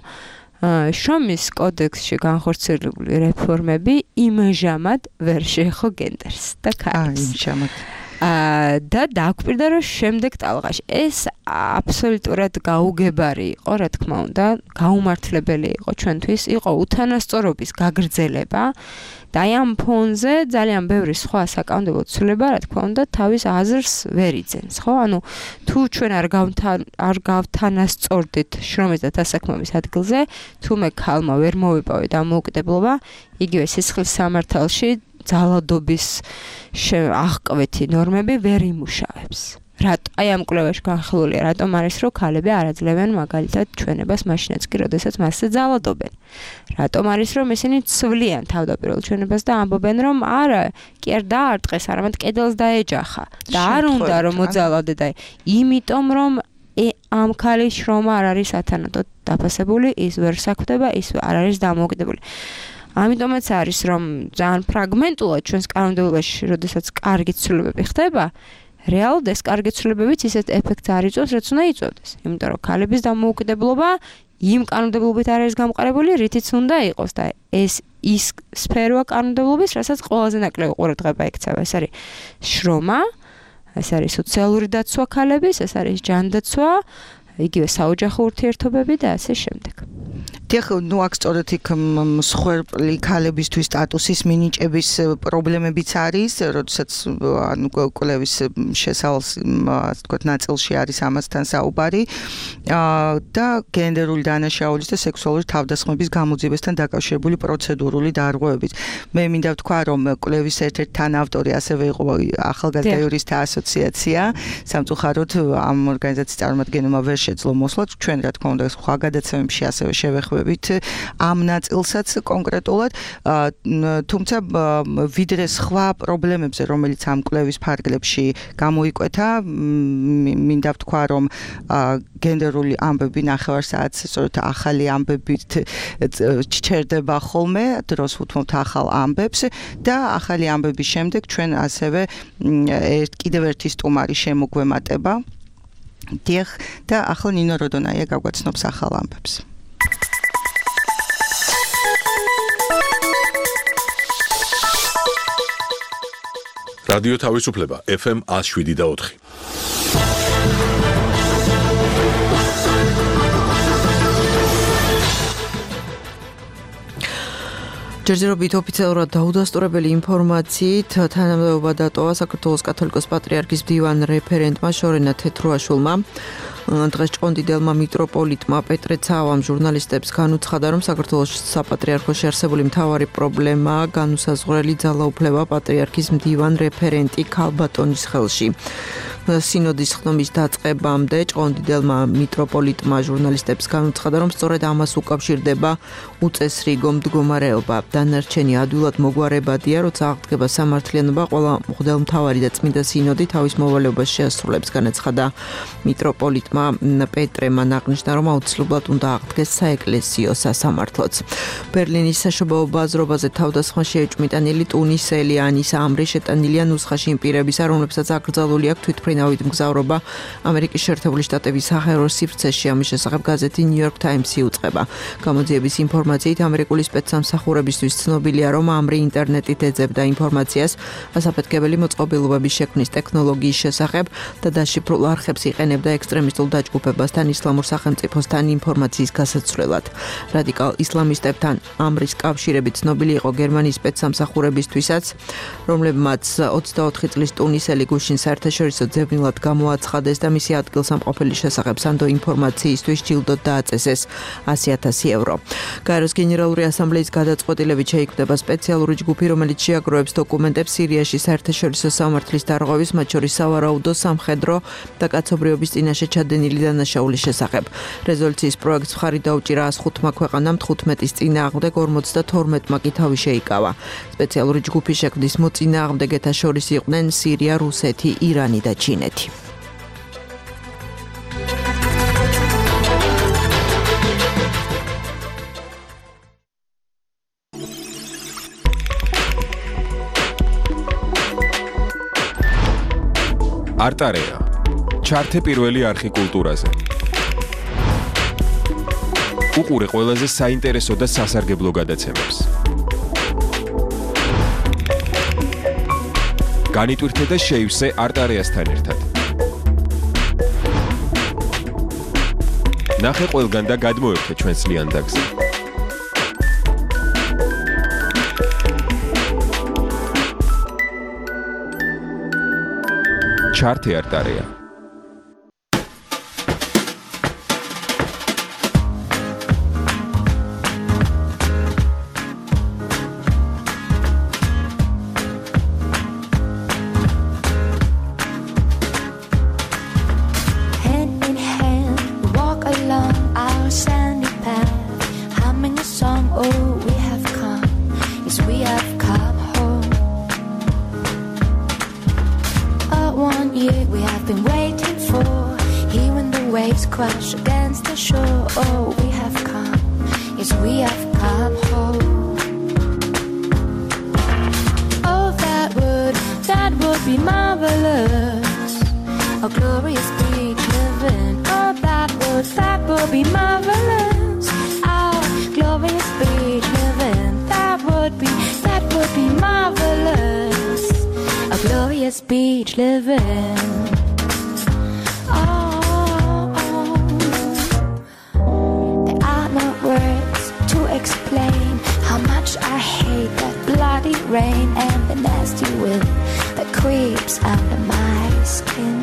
შრომის კოდექსში განხორციელებული რეფორმები იმჟამად ვერ შეეხო გენდერს და ქალებს. იმჟამად. და დაგვპირდა რომ შემდეგ ტალღაში ეს აბსოლუტურად გაუგებარი იყო, რა თქმა უნდა, გაუმართლებელი იყო ჩვენთვის, იყო უთანასწორობის გაგრძელება და აი ამ ფონზე ძალიან ბევრი სხვა საკანონმდებლო ცვლილება, რა თქმა უნდა, თავის აზრს ვერ იძენს, ხო? ანუ თუ ჩვენ არ არ გავთანასწორდით შრომის და დასაქმების ადგილზე, თუმე ქალმა ვერ მოვიპოვეთ დამოუკიდებლობა, იგივე სისხლის სამართალში ძალადობის აღკვეთი ნორმები ვერ იმუშავებს. რატო აი ამ კვლევაში განხილულია, რატომ არის რომ ქალები არ აძლევენ მაგალითად ჩვენებას მაშინაც კი, როდესაც მასზე ძალადობენ. რატომ არის რომ ისინი ცვლიან თავდაპირველ ჩვენებას და ამბობენ რომ არა, კი არ დაარტყეს, არამედ კედელს დაეჯახა და არ უნდა რომ მოძალადე და იმიტომ რომ ამ ქალის შრომა არ არის ათანადოდ დაფასებული, ის ვერ საქმდება, ის არ არის დამოუკიდებელი. ამიტომაც არის რომ ძალიან ფრაგმენტულად ჩვენს კანონმდებლობაში, როდესაც კარგი ცვლილებები ხდება, რეალურად ეს კარგი ცვლილებებიც ისეთ ეფექტს არ იწვევს, რაც უნდა იწვევდეს. იმიტომ რომ ქალების დამოუკიდებლობა იმ კანონმდებლობით არ არის გამყარებული, რითიც უნდა იყოს და ეს ის სფეროა კანონმდებლობის, რასაც ყველაზე ნაკლები ყურადღება ექცევა. ეს არის შრომა, ეს არის სოციალური დაცვა ქალების, ეს არის ჯანდაცვა, იგივე საოჯახო ურთიერთობები და ასე შემდეგ. დიახ, ნუ აქ სწორედ იქ მსხვერპლი ქალებისთვის სტატუსის მინიჭების პრობლემებიც არის, როდესაც ანუ კვლევის შესავალს, ასე ვთქვათ, ნაწილში არის ამასთან საუბარი და გენდერული დანაშაულის და სექსუალური თავდასხმების გამოძიებასთან დაკავშირებული პროცედურული დარღვევებით. მე მინდა ვთქვა, რომ კვლევის ერთ-ერთი თანაავტორი ასევე იყო ახალგაზრდა იურისტთა ასოციაცია, სამწუხაროდ ამ ორგანიზაციის წარმომადგენელმა ვერ შეძლო მოსვლა, ჩვენ რა თქმა უნდა სხვა გადაცემებში ასევე შევეხმარებთ ამ ნაწილსაც კონკრეტულად, თუმცა ვიდრე სხვა პრობლემებზე, რომელიც ამ კვლევის ფარგლებში გამოიკვეთა, მინდა ვთქვა, რომ გენდერული ამბები ნახევარსაათს სწორედ ახალი ამბებით ჩერდება ხოლმე, დროს ვუთმობთ ახალ ამბებს და ახალი ამბების შემდეგ ჩვენ ასევე კიდევ ერთი სტუმარი შემოგვემატება. დიახ, და ახლა ნინო როდონაია გაგვაცნობს ახალ ამბებს. რადიო თავისუფლება ეფ ემ one oh seven და four. ჯერჯერობით ოფიციალურად დაუდასტურებელი ინფორმაციით თანამდებობა დატოვა საქართველოს კათოლიკოს პატრიარქის მდივან რეფერენტმა შორენა თეთრუაშვილმა. დღეს ჭყონდიდელმა მიტროპოლიტმა პეტრე ცავამ ჟურნალისტებს განუცხადა, რომ საქართველოს საპატრიარქოში არსებული მთავარი პრობლემაა განუსაზღვრელი ძალაუფლება პატრიარქის მდივან რეფერენტი ქალბატონის ხელში. სინოდის ხდომის დაწყებამდე ჭყონდიდელმა მიტროპოლიტმა ჟურნალისტებს განუცხადა, რომ სწორედ ამას უკავშირდება უწესრიგო მდგომარეობა. დანარჩენი ადვილად მოგვარებადია, როცა აღდგება სამართლიანობა, ყველა მღვდელმთავარი და წმინდა სინოდი თავის მოვალეობას შეასრულებს, განაცხადა მიტროპოლიტმა პეტრემ აღნიშნა, რომ აუცილებლად უნდა აღდგეს საეკლესიო სასამართლოც. ბერლინის საშობაო ბაზრობაზე თავდასხმა შეეჭვმიტანილი ტუნისელი ანის ამრი შეტანილია ნუსხაში იმ პირებისა, რომლებსაც აკრძალული აქვს თვითმფრინავით მგზავრობა ამერიკის შეერთებული შტატების სახერო სივრცეში. ამის შესახებ გაზეთი New York Times-ი უწყება. გამოძიების ინფორმაციით ამერიკული სპეცსამსახურებისთვის ცნობილია, რომ ამრი ინტერნეტით ეძებდა ინფორმაციას ასაფეთქებელი მოწყობილობების შექმნის ტექნოლოგიის შესახებ და დაშიფრულ არხებს იყენებდა ექსტრემისტულ დაჯგუფებასთან ისლამურ სახელმწიფოსთან ინფორმაციის გასაცვლელად. რადიკალ ისლამისტებთან ამრის კავშირები ცნობილი იყო გერმანიის სპეცსამსახურებისთვისაც, რომლებმაც ოცდაოთხი წლის ტუნისელი გუშინ საერთაშორისო ძებნილად გამოაცხადეს და მისი ადგილსამყოფელი შესახებ სანდო ინფორმაციისთვის ჯილდოდ დააწესეს ასი ათასი ევრო. გაეროს გენერალური ასამბლეის გადაწყვეტილებით შეიქმნება სპეციალური ჯგუფი, რომელიც შეაგროვებს დოკუმენტებს სირიაში საერთაშორისო სამართლის დარღვევის, მათ შორის სავარაუდო, სამხედრო და კაცობრიობის წინაშე ჩადენილი დანაშაულის შესახებ. რეზოლუციის პროექტს მხარი დაუჭირა one oh five ქვეყანამ, თხუთმეტის წინააღმდეგ ორმოცდათორმეტმა კი თავი შეიკავა. სპეციალური ჯგუფის შექმნის მოწინააღმდეგეთა შორის იყვნენ სირია, რუსეთი, ირანი და ჩინეთი. არტარეა. ჩართე პირველი არხი კულტურაზე. უყურე ყველაზე საინტერესო და სასარგებლო გადაცემებს. განიტვირთე და შეივსე არტარეასთან ერთად. ნახე ყველგან და გადმოერთე ჩვენს ლიანდაგზე. ჩართე არტარეა. Crash against the shore. Oh, we have come. Yes, we have come home. Oh, that would, that would be marvelous. A glorious beach living. Oh, that would, that would be marvelous. Oh, glorious beach living. That would be, that would be marvelous. A glorious beach living. Explain how much I hate that bloody rain and the nasty wind that creeps under my skin.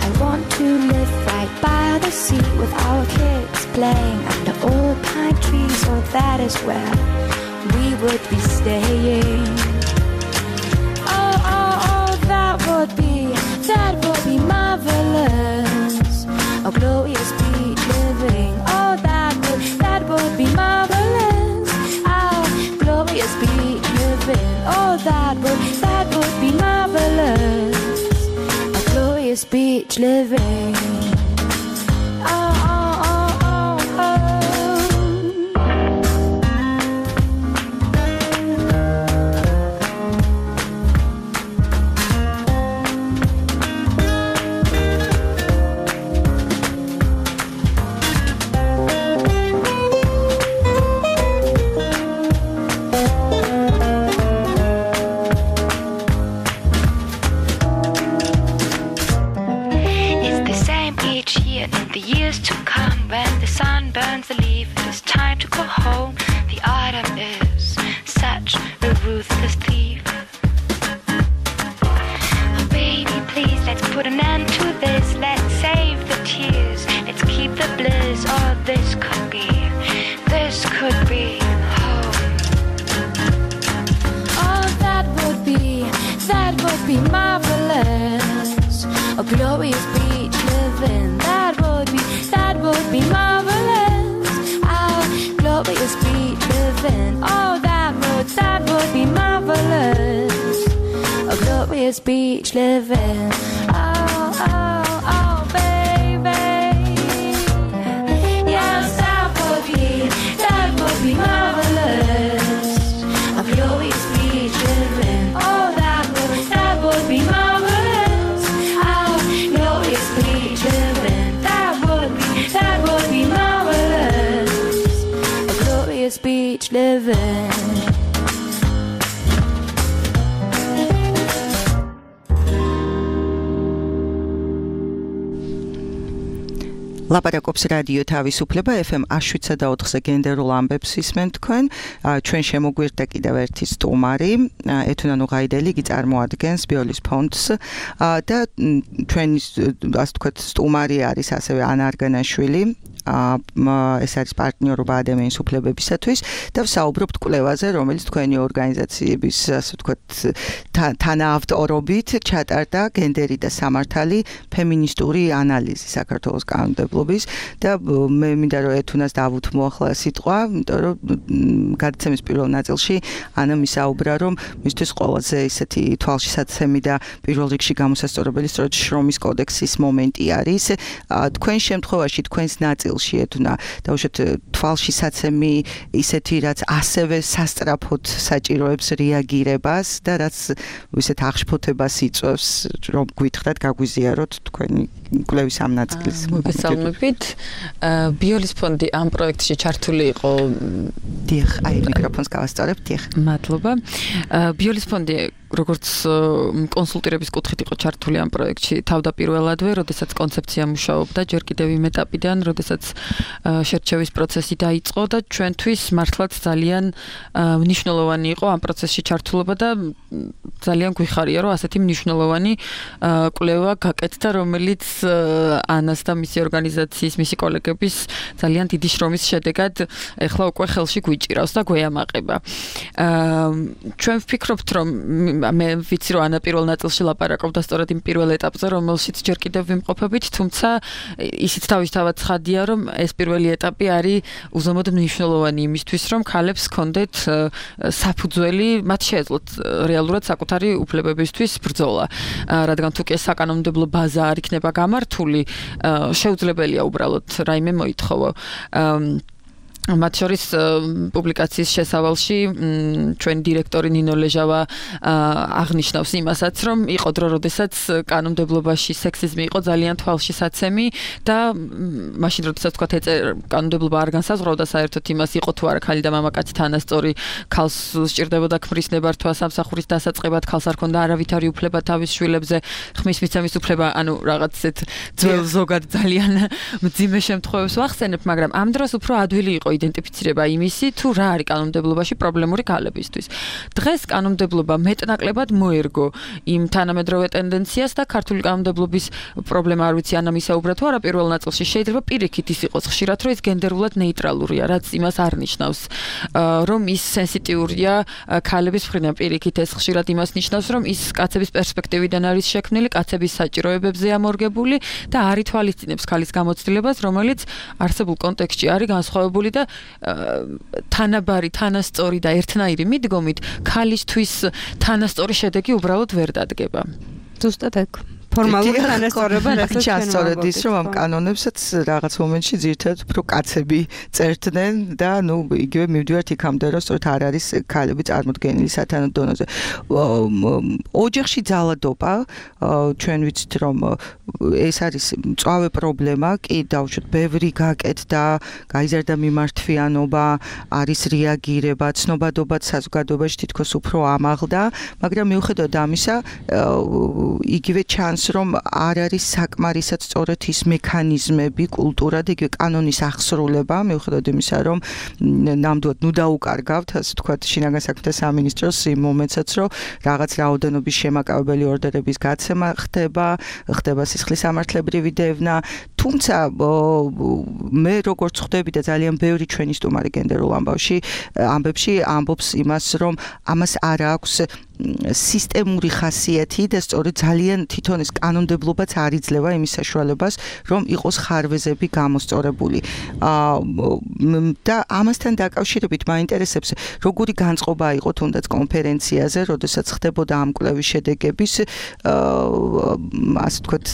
I want to live right by the sea with our kids playing under old pine trees. Oh, that is where we would be staying. Oh, oh, oh, that would be, that would be marvelous. A glorious beach living. Oh, that would, that would be marvelous. Oh, glorious beach living. Oh, that would, that would be marvelous. A glorious beach living. Oh, oh, oh, oh, oh. that would be marvelous. A glorious beach living, that would be, that would be marvelous. Our glorious beach living, oh that would, that would be marvelous. A glorious beach living, oh, oh, oh baby. Yes, that would be, that would be marvelous. A glorious beach living, oh that would, that would be marvelous. Our glorious beach living, that would be, that would be marvelous. A glorious beach living. ლაპარაკობს რადიო თავისუფლება ეფ ემ one oh seven point four-ზე გენდერულ ამბებს ისმენ თქვენ. ჩვენ შემოგვირდა კიდევ ერთი სტუმარი, ეთუნა ნუღაიდელი, იგი წარმოადგენს ბიოლის ფონდს და ჩვენი ასე ვთქვათ სტუმარი არის ასევე ანა არგანაშვილი. ეს არის პარტნიორობა ადამიანის უფლებებისათვის და ვსაუბრობთ კვლევაზე, რომელიც თქვენი ორგანიზაციების ასე ვთქვათ თანაავტორობით ჩატარდა გენდერი და სამართალი ფემინისტური ანალიზი საქართველოს კანონმდებლობის და მე მინდა რომ ეთუნას დავუთმო ახლა სიტყვა, იმიტომ რომ გადაცემის პირველ ნაწილში ანა მისაუბრა რომ მისთვის ყველაზე ისეთი თვალშისაცემი და პირველ რიგში გამოსასწორებელი სწორედ შრომის კოდექსის მომენტი არის. თქვენ შემთხვევაში თქვენს ნაწილში ეთუნა დაუშვათ თვალშისაცემი ისეთი რაც ასევე სასწრაფოდ საჭიროებს რეაგირებას და რაც ისეთ აღშფოთებას იწვევს რომ გვითხრათ გაგვიზიაროთ თქვენი კვლევის ამ ნაწილის. მოგესალმებით. ბიოლის ფონდი ამ პროექტში ჩართული იყო. დიახ, აი მიკროფონს გავასწორებ, დიახ. მადლობა. ბიოლის ფონდი როგორც კონსულტირების კუთხით იყო ჩართული ამ პროექტში თავდაპირველადვე, როდესაც კონცეფცია მუშაობდა, ჯერ კიდევ იმ ეტაპიდან, როდესაც შერჩევის პროცესი დაიწყო და ჩვენთვის მართლაც ძალიან მნიშვნელოვანი იყო ამ პროცესში ჩართულობა და ძალიან გვიხარია, რომ ასეთი მნიშვნელოვანი კვლევა გაკეთდა, რომელიც ანას და მისი ორგანიზაციის, მისი კოლეგების ძალიან დიდი შრომის შედეგად ეხლა უკვე ხელში გვიჭირავს და გვეამაყება. ჩვენ ვფიქრობთ, რომ მე ვიცი რომ ანა პირველ ნაწილში ლაპარაკობდა სწორედ იმ პირველ ეტაპზე, რომელშიც ჯერ კიდევ ვიმყოფებით, თუმცა ისიც თავისთავად ცხადია, რომ ეს პირველი ეტაპი არის უზომოდ მნიშვნელოვანი იმისთვის, რომ ქალებს ჰქონდეთ საფუძველი, მათ შეეძლოთ რეალურად საკუთარი უფლებებისთვის ბრძოლა. რადგან თუ კი ეს საკანონმდებლო ბაზა არ იქნება გამართული, შეუძლებელია უბრალოდ რაიმე მოითხოვო. მათ შორის პუბლიკაციის შესავალში ჩვენი დირექტორი ნინო ლეჟავა აღნიშნავს იმასაც, რომ იყო დრო, როდესაც კანონმდებლობაში სექსიზმი იყო ძალიან თვალშისაცემი და მაშინ როდესაც თქვა კანონმდებლობა არ განსაზღვრავდა საერთოდ იმას, იყო თუ არა ქალი და მამაკაცი თანასწორი, ქალს სჭირდებოდა ქმრის ნებართვა სამსახურის დასაწყებად, ქალს არ ჰქონდა არავითარი უფლება თავის შვილებზე, ხმის მიცემის უფლება, ანუ რაღაც ესეთ ძველ ზოგად ძალიან მძიმე შემთხვევებს ვახსენებ, მაგრამ ამ დროს უფრო ადვილი იყო იდენტიფიცირება იმისი, თუ რა არის კანონმდებლობაში პრობლემური ქალებისთვის. დღეს კანონმდებლობა მეტნაკლებად მოერგო იმ თანამედროვე ტენდენციას და ქართული კანონმდებლობის პრობლემა არ ვიცი ანა მისაუბრა თუ არა პირველ ნაწილში, შეიძლება პირიქით ის იყოს ხშირად, რომ ის გენდერულად ნეიტრალურია, რაც იმას არ ნიშნავს, რომ ის სენსიტიურია ქალების მხრიდან, პირიქით ეს ხშირად იმას ნიშნავს, რომ ის კაცების პერსპექტივიდან არის შექმნილი, კაცების საჭიროებებზე ამორგებული და არ ითვალისწინებს ქალის გამოცდილებას, რომელიც არსებულ კონტექსტში არის განსხვავებული და თანაბარი, თანასწორი და ერთნაირი მიდგომით ქალისთვის თანასწორი შედეგი უბრალოდ ვერ დადგება. ზუსტად ეგ. ფორმალური თანასწორობა რასაც ჩასწორედ ის რომ ამ კანონებსაც რაღაც მომენტში ძირითადად უფრო კაცები წერდნენ და ნუ იგივე მივდივართ იქამდე რომ სწორედ არ არის ქალები წარმოდგენილი სათანადო დონეზე. ოჯახში ძალადობა ჩვენ ვიცით რომ ეს არის მწვავე პრობლემა, კი დავუშვათ ბევრი გაკეთდა, გაიზარდა მიმართვიანობა, არის რეაგირება, ცნობადობაც საზოგადოებაში თითქოს უფრო ამაღლდა, მაგრამ მიუხედავად ამისა იგივე ჩანს რომ არ არის საკმარისად სწორედ ის მექანიზმები, კულტურა და იგივე კანონის აღსრულება, მიუხედავად იმისა, რომ ნამდვილად ნუ დაუკარგავთ, ასე ვთქვათ, შინაგან საქმეთა სამინისტროს იმ მომენტსაც, რომ რაღაც რაოდენობის შემაკავებელი ორდერების გაცემა ხდება, ხდება სისხლის სამართლებრივი დევნა, თუმცა მე როგორც ხვდები და ძალიან ბევრი ჩვენი სტუმარი გენდერულ ამბავში ამბებში ამბობს იმას, რომ ამას არ აქვს სისტემური ხასიათი და სწორედ ძალიან თვითონ ეს კანონმდებლობაც არ იძლევა იმის საშუალებას, რომ იყოს ხარვეზები გამოსწორებული. და ამასთან დაკავშირებით მაინტერესებს, როგორი განწყობა იყო თუნდაც კონფერენციაზე, როდესაც ხდებოდა ამ კვლევის შედეგების ასე ვთქვათ,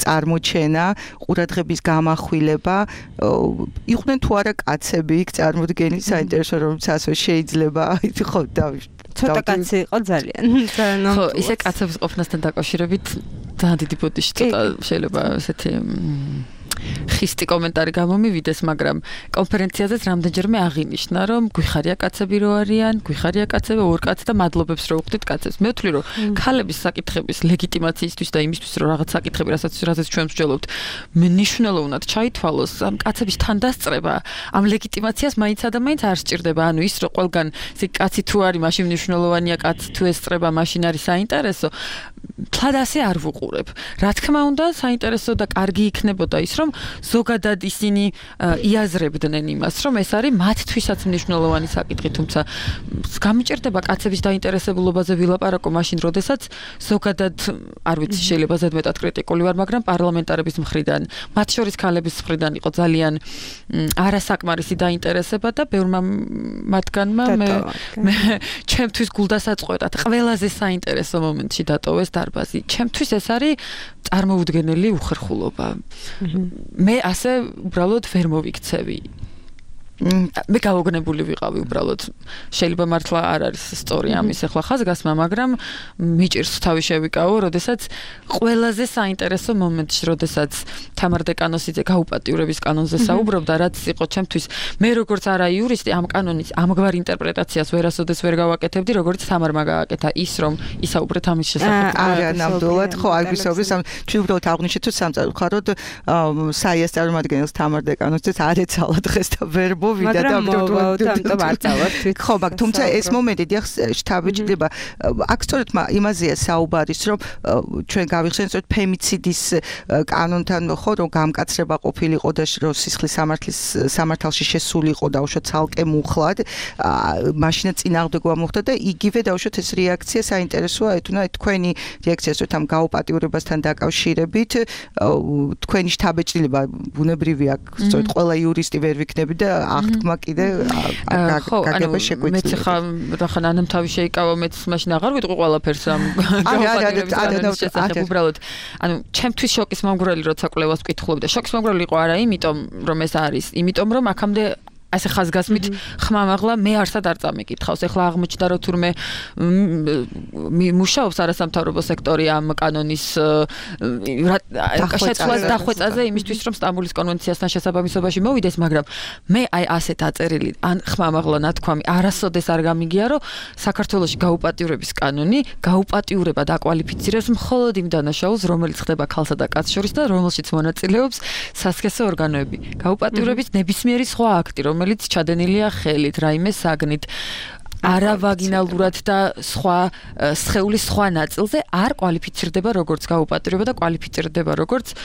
წარმოჩენა, ყურადღების გამახვილება, იყვნენ თუ არა კაცები იქ წარმოდგენილი, საინტერესო რომ ასე შეიძლება, ხო და ცოტა კაცი იყო ძალიან. ხო, ისე კაცების ყოფნასთან დაკავშირებით ძალიან დიდი ბოდიში ცოტა შეიძლება ესეთი ხისტი კომენტარი გამომივიდეს, მაგრამ კონფერენციაზეც რამდენჯერმე აღინიშნა, რომ გვიხარია კაცები რო არიან, გვიხარია კაცები, ორ კაცს და მადლობებს რო უხდით კაცებს. მე ვთვლი, რომ ქალების საკითხების ლეგიტიმაციისთვის და იმისთვის, რომ რაღაც საკითხები, რასაც რასაც ჩვენ ვსჯელობთ, მნიშვნელოვნად ჩაითვალოს, ამ კაცების თანდასწრება, ამ ლეგიტიმაციას მაინც ადამიანს არ სჭირდება. ანუ ის რომ ყველგან ისე კაცი თუ არის, მაშინ მნიშვნელოვანია კაცი თუ ესწრება, მაშინ არის საინტერესო. თლად ასე არ ვუყურებ. რა თქმა უნდა, საინტერესო და კარგი იქნებოდა ის, რომ ზოგადად ისინი იაზრებდნენ იმას, რომ ეს არის მათთვისაც მნიშვნელოვანი საკითხი, თუმცა გამიჭირდება კაცების დაინტერესებულობაზე ვილაპარაკო მაშინ, როდესაც ზოგადად არ ვიცი, შეიძლება ზედმეტად კრიტიკული ვარ, მაგრამ პარლამენტარების მხრიდან, მათ შორის ქალების მხრიდან იყო ძალიან არასაკმარისი დაინტერესება და ბევრმა მათგანმა მე ჩემთვის გულდასაწყვეტად ყველაზე საინტერესო მომენტში დატოვეს დარბაზი. ჩემთვის ეს არის წარმოუდგენელი უხერხულობა. მე ასე უბრალოდ ვერ მოვიქცევი. მე გავოგნებული ვიყავი უბრალოდ. შეიძლება მართლა არ არის სწორი ამის ახლა ხაზგასმა, მაგრამ მიჭირს თავი შევიკავო, როდესაც ყველაზე საინტერესო მომენტში, როდესაც თამარ დეკანოსიძე გაუპატიურების კანონზე საუბრობდა, რაც იყო ჩემთვის, მე როგორც არა იურისტი, ამ კანონის ამგვარ ინტერპრეტაციას ვერასოდეს ვერ გავაკეთებდი, როგორც თამარმა გააკეთა ის, რომ ისაუბრეთ ამის შესახებ. არა, ნამდვილად, ხო, არ ვისაუბრეთ, ჩვენ უბრალოდ აღნიშნეთ, თუ სამწუხაროდ საიას წარმომადგენელს თამარ დეკანოსიძეს არ ეცალა დღეს და ვერ ვიდა და ამიტომ არ წავარ თვით. ხო, მაგრამ თუმცა ეს მომენტი დიახ შტაბი ჭირდება. აქ სწორედ იმაზეა საუბარის, რომ ჩვენ გავიხსენეთ, რომ ფემიციდის კანონთან ხო, რომ გამკაცრება ყოფილიყო და რომ სისხლის სამართლის სამართალში შესულიყო და უშო ცალკე მუხლად, მაშინა წინააღმდეგობა მოხდა და იგივე დაუშვათ ეს რეაქცია საინტერესოა, ეთუნა თქვენი რეაქცია სწორედ ამ გაუპატიურებასთან დაკავშირებით, თქვენი შტაბეჭრილება ბუნებრივია, სწორედ ყველა იურისტი ვერ ვიქნები და აღთქმა კიდე გაგება შეგვიძლია. მეც ხა რახან ანამ თავი შეიკავა, მეც მაშინ აღარ ვიტყვი ყველაფერს ამ გაუპატიურების შესახებ უბრალოდ. ანუ ჩემთვის შოკის მომგვრელი როცა კვლევას ვკითხულობდი და შოკის მომგვრელი იყო არა იმიტომ რომ ეს არის, იმიტომ რომ აქამდე ასე ხაზგასმით ხმამაღლა მე არსად არ წამიკითხავს. ეხლა აღმოჩნდა რომ თურმე მუშაობს არასამთავრობო სექტორი ამ კანონის შეცვლას დახვეწაზე იმისთვის რომ სტამბოლის კონვენციასთან შესაბამისობაში მოვიდეს, მაგრამ მე აი ასეთ აწერილი ან ხმამაღლა ნათქვამი არასოდეს არ გამიგია, რომ საქართველოში გაუპატიურების კანონი გაუპატიურება დაკვალიფიცირებს მხოლოდ იმ დანაშაულს, რომელიც ხდება ქალსა და კაცს შორის და რომელშიც მონაწილეობს სასქესო ორგანოები. გაუპატიურების ნებისმიერი სხვა აქტი, რომელიც ჩადენილია ხელით, რაიმე საგნით, არავაგინალურად და სხვა სხეულის სხვა ნაწილზე არ კვალიფიცირდება როგორც გაუპატიურება და კვალიფიცირდება როგორც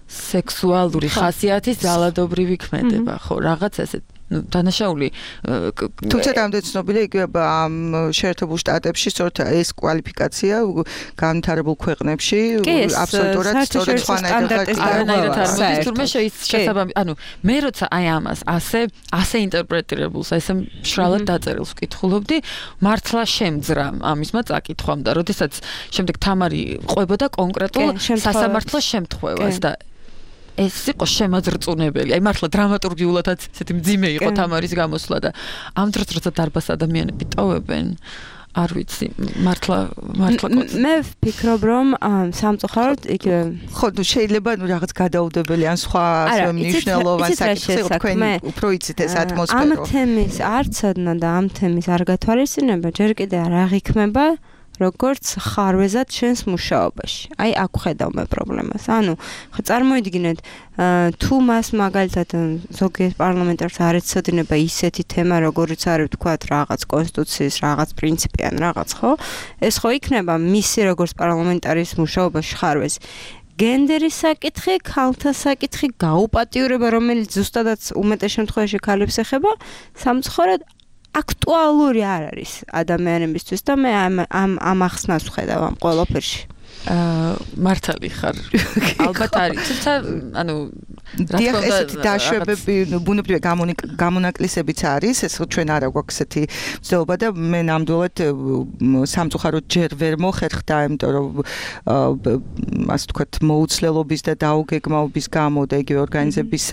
სექსუალური ხასიათის ძალადობრივი ქმედება, ხო, რაღაც ესეთ ну დანაშაული თუმცა რამდენი ცნობილია იგივე ამ შეერთებულ შტატებში სწორედ ეს კვალიფიკაცია განვითარებულ ქვეყნებში აბსოლუტურად სწორედ სხვანაირად თურმე შესაბამი ანუ მე როცა აი ამას ასე ასე ინტერპრეტირებულს ესე მშრალად დაწერილს ვკითხულობდი მართლა შემძრა ამისმა წაკითხვამ და როდესაც შემდეგ თამარი ყვებოდა კონკრეტულ სასამართლოს შემთხვევას და ეს იყო შემაძრწუნებელი. აი მართლა დრამატურგიულადაც ესეთი მძიმე იყო თამარის გამოსვლა და ამ დროს როცა დარბას ადამიანები ტოვებენ არ ვიცი მართლა მართლა მე ვფიქრობ რომ სამწუხაროდ იგივე ხო ნუ შეიძლება ნუ რაღაც გადაუდებელი ან სხვა მნიშვნელოვანი საკითხი იყო თქვენ უფრო იცით ეს ატმოსფერო ამ თემის არცოდნა და ამ თემის არ გათვალისწინება ჯერ კიდე არ აღიქმება როგორც ხარვეზად ჩვენს მუშაობაში. აი აქ ხედავ მე პრობლემას. ანუ ხო წარმოიდგინეთ თუ მას მაგალითად ზოგიერთ პარლამენტარს არ ეცოდინება ისეთი თემა როგორც არის ვთქვათ რაღაც კონსტიტუციის რაღაც პრინციპი ან რაღაც ხო ეს ხო იქნება მისი როგორც პარლამენტარის მუშაობაში ხარვეზი. გენდერის საკითხი, ქალთა საკითხი, გაუპატიურება, რომელიც ზუსტადაც უმეტეს შემთხვევაში ქალებს ეხება, სამწუხაროდ აქტუალური არ არის ადამიანებისთვის და მე ამ ამ ამ ახსნას ვხედავ ამ ყველაფერში. აა მართალი ხარ. ალბათ არის. თუმცა ანუ დიახ, ესეთი დაშვებები, ბუნებრივი გამონაკლისებიც არის, ეს ჩვენ არა გვაქვს ესეთი ცდელობა და მე ნამდვილად სამწუხაროდ ჯერ ვერ მოხერხდა, იმიტომ რომ ასე ვთქვათ, მოუცლელობის და დაუგეგმაობის გამო და იგივე ორგანიზების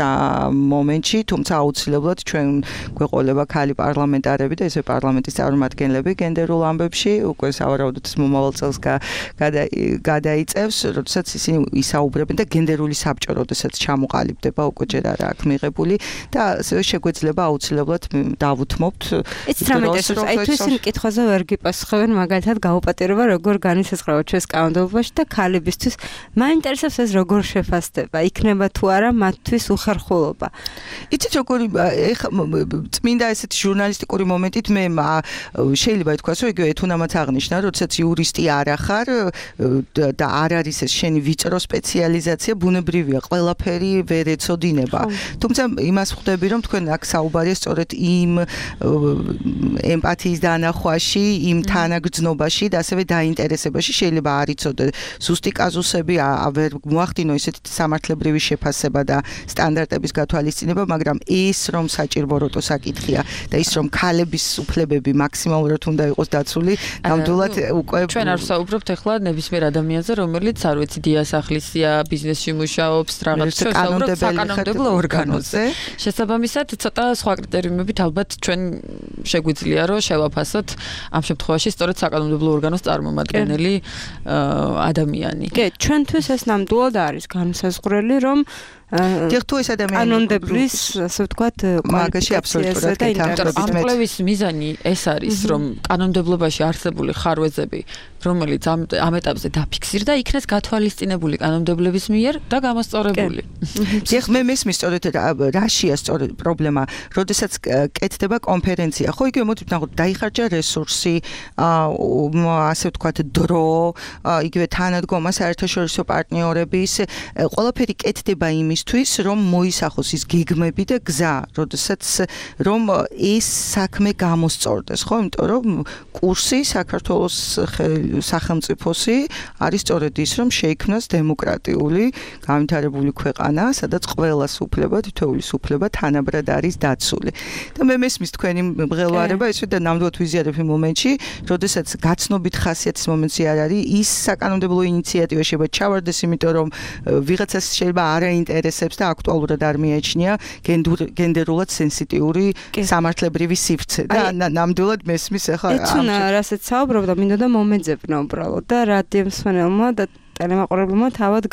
მომენტში, თუმცა აუცილებლად ჩვენ გვეყოლება ქალი პარლამენტარები და ესე პარლამენტის წარმომადგენლები გენდერულ ამბებში, უკვე სავარაუდოდ მომავალ წელს გადაიწევს, როდესაც ისინი ისაუბრებენ და გენდერული საბჭო, როდესაც ჩამოყალიბდება, უკვე ჯერ არა აქ მიღებული და ასევე შეგვეძლება აუცილებლად დავუთმობთ. ეს რამეთესოს, აი თუ ისინი კითხვაზე ვერ გიპასუხებენ, მაგალითად გაუპატიურება როგორ განისაზღვრება ჩვენს კანონმდებლობაში და ქალებისთვის მაინტერესებს ეს როგორ შეფასდება, იქნება თუ არა მათთვის უხერხულობა. იცით როგორი ეხა წმინდა ესეთი ჟურნალისტიკური მომენტით მე შეიძლება ითქვას, რომ იგივე ეთუნამაც აღნიშნა, როდესაც იურისტი არ ახარ და არ არის ეს შენი ვიწრო სპეციალიზაცია, ბუნებრივია, ყველაფერი ვერ ეცოდინება. თუმცა იმას ხვდები, რომ თქვენ აქ საუბარია სწორედ იმ ემპათიის დანახვაში, იმ თანაგრძნობაში და ასევე დაინტერესებაში, შეიძლება არ იცოდე ზუსტი კაზუსები, ვერ მოახდინო ისეთი სამართლებრივი შეფასება და სტანდარტების გათვალისწინება, მაგრამ ის რომ საჭიროებო საკითხია და ის რომ ქალების უფლებები მაქსიმალურად უნდა იყოს დაცული, ნამდვილად უკვე ჩვენ არ ვსაუბრობთ ახლა ნებისმიერ ადამიანზე, რომელიც არ ვიცი დიასახლისია, ბიზნესში მუშაობს, რაღაც საკანონმდებლო ორგანოზე. შესაბამისად, ცოტა სხვა კრიტერიუმებით ალბათ ჩვენ შეგვიძლია რომ შევაფასოთ ამ შემთხვევაში სწორედ საკანონმდებლო ორგანოს წარმომადგენელი ადამიანი. კი, ჩვენთვის ეს ნამდვილად არის განსაზღვრელი, რომ დიახ, თუ ეს ადამიანი კანონმდებლის, ასე ვთქვათ, მაგაში აბსოლუტურად ამ კვლევის მიზანი ეს არის, რომ კანონმდებლობაში არსებული ხარვეზები, რომელიც ამ ამ ეტაპზე დაფიქსირდა, იქნეს გათვალისწინებული კანონმდებლების მიერ და გამოსწორებული. დიახ, მე მესმის სწორედ რაშია სწორედ პრობლემა, როდესაც კეთდება კონფერენცია, ხო იგივე მოდი ვთქვათ, დაიხარჯა რესურსი, ასე ვთქვათ, დრო, იგივე თანადგომა საერთაშორისო პარტნიორების, ყველაფერი კეთდება იმის თვის რომ მოისახოს ის გეგმები და გზა, როდესაც რომ ეს საქმე გამოსწორდეს, ხო? იმიტომ რომ კურსი საქართველოს სახელმწიფოსი არის სწორედ ის, რომ შეიქმნას დემოკრატიული, განვითარებული ქვეყანა, სადაც ყველას უფლება, თითოეულის უფლება თანაბრად არის დაცული. და მე მესმის თქვენი მღელვარება, ისე და ნამდვილად ვიზიარებ იმ მომენტში, როდესაც გაცნობით ხასიათის მომენტი არ არის, ის საკანონმდებლო ინიციატივა შეიძლება ჩავარდეს, იმიტომ რომ ვიღაცას შეიძლება არა ინტერესებს და აქტუალურად არ მიაჩნია გენდერულად სენსიტიური სამართლებრივი სივრცე და ნამდვილად მესმის ახლა ეცუნა რასაც საუბრობდა, მინდოდა მომეძებნა უბრალოდ და რადიო მსმენელმა და ტელემაყურებელმა თავად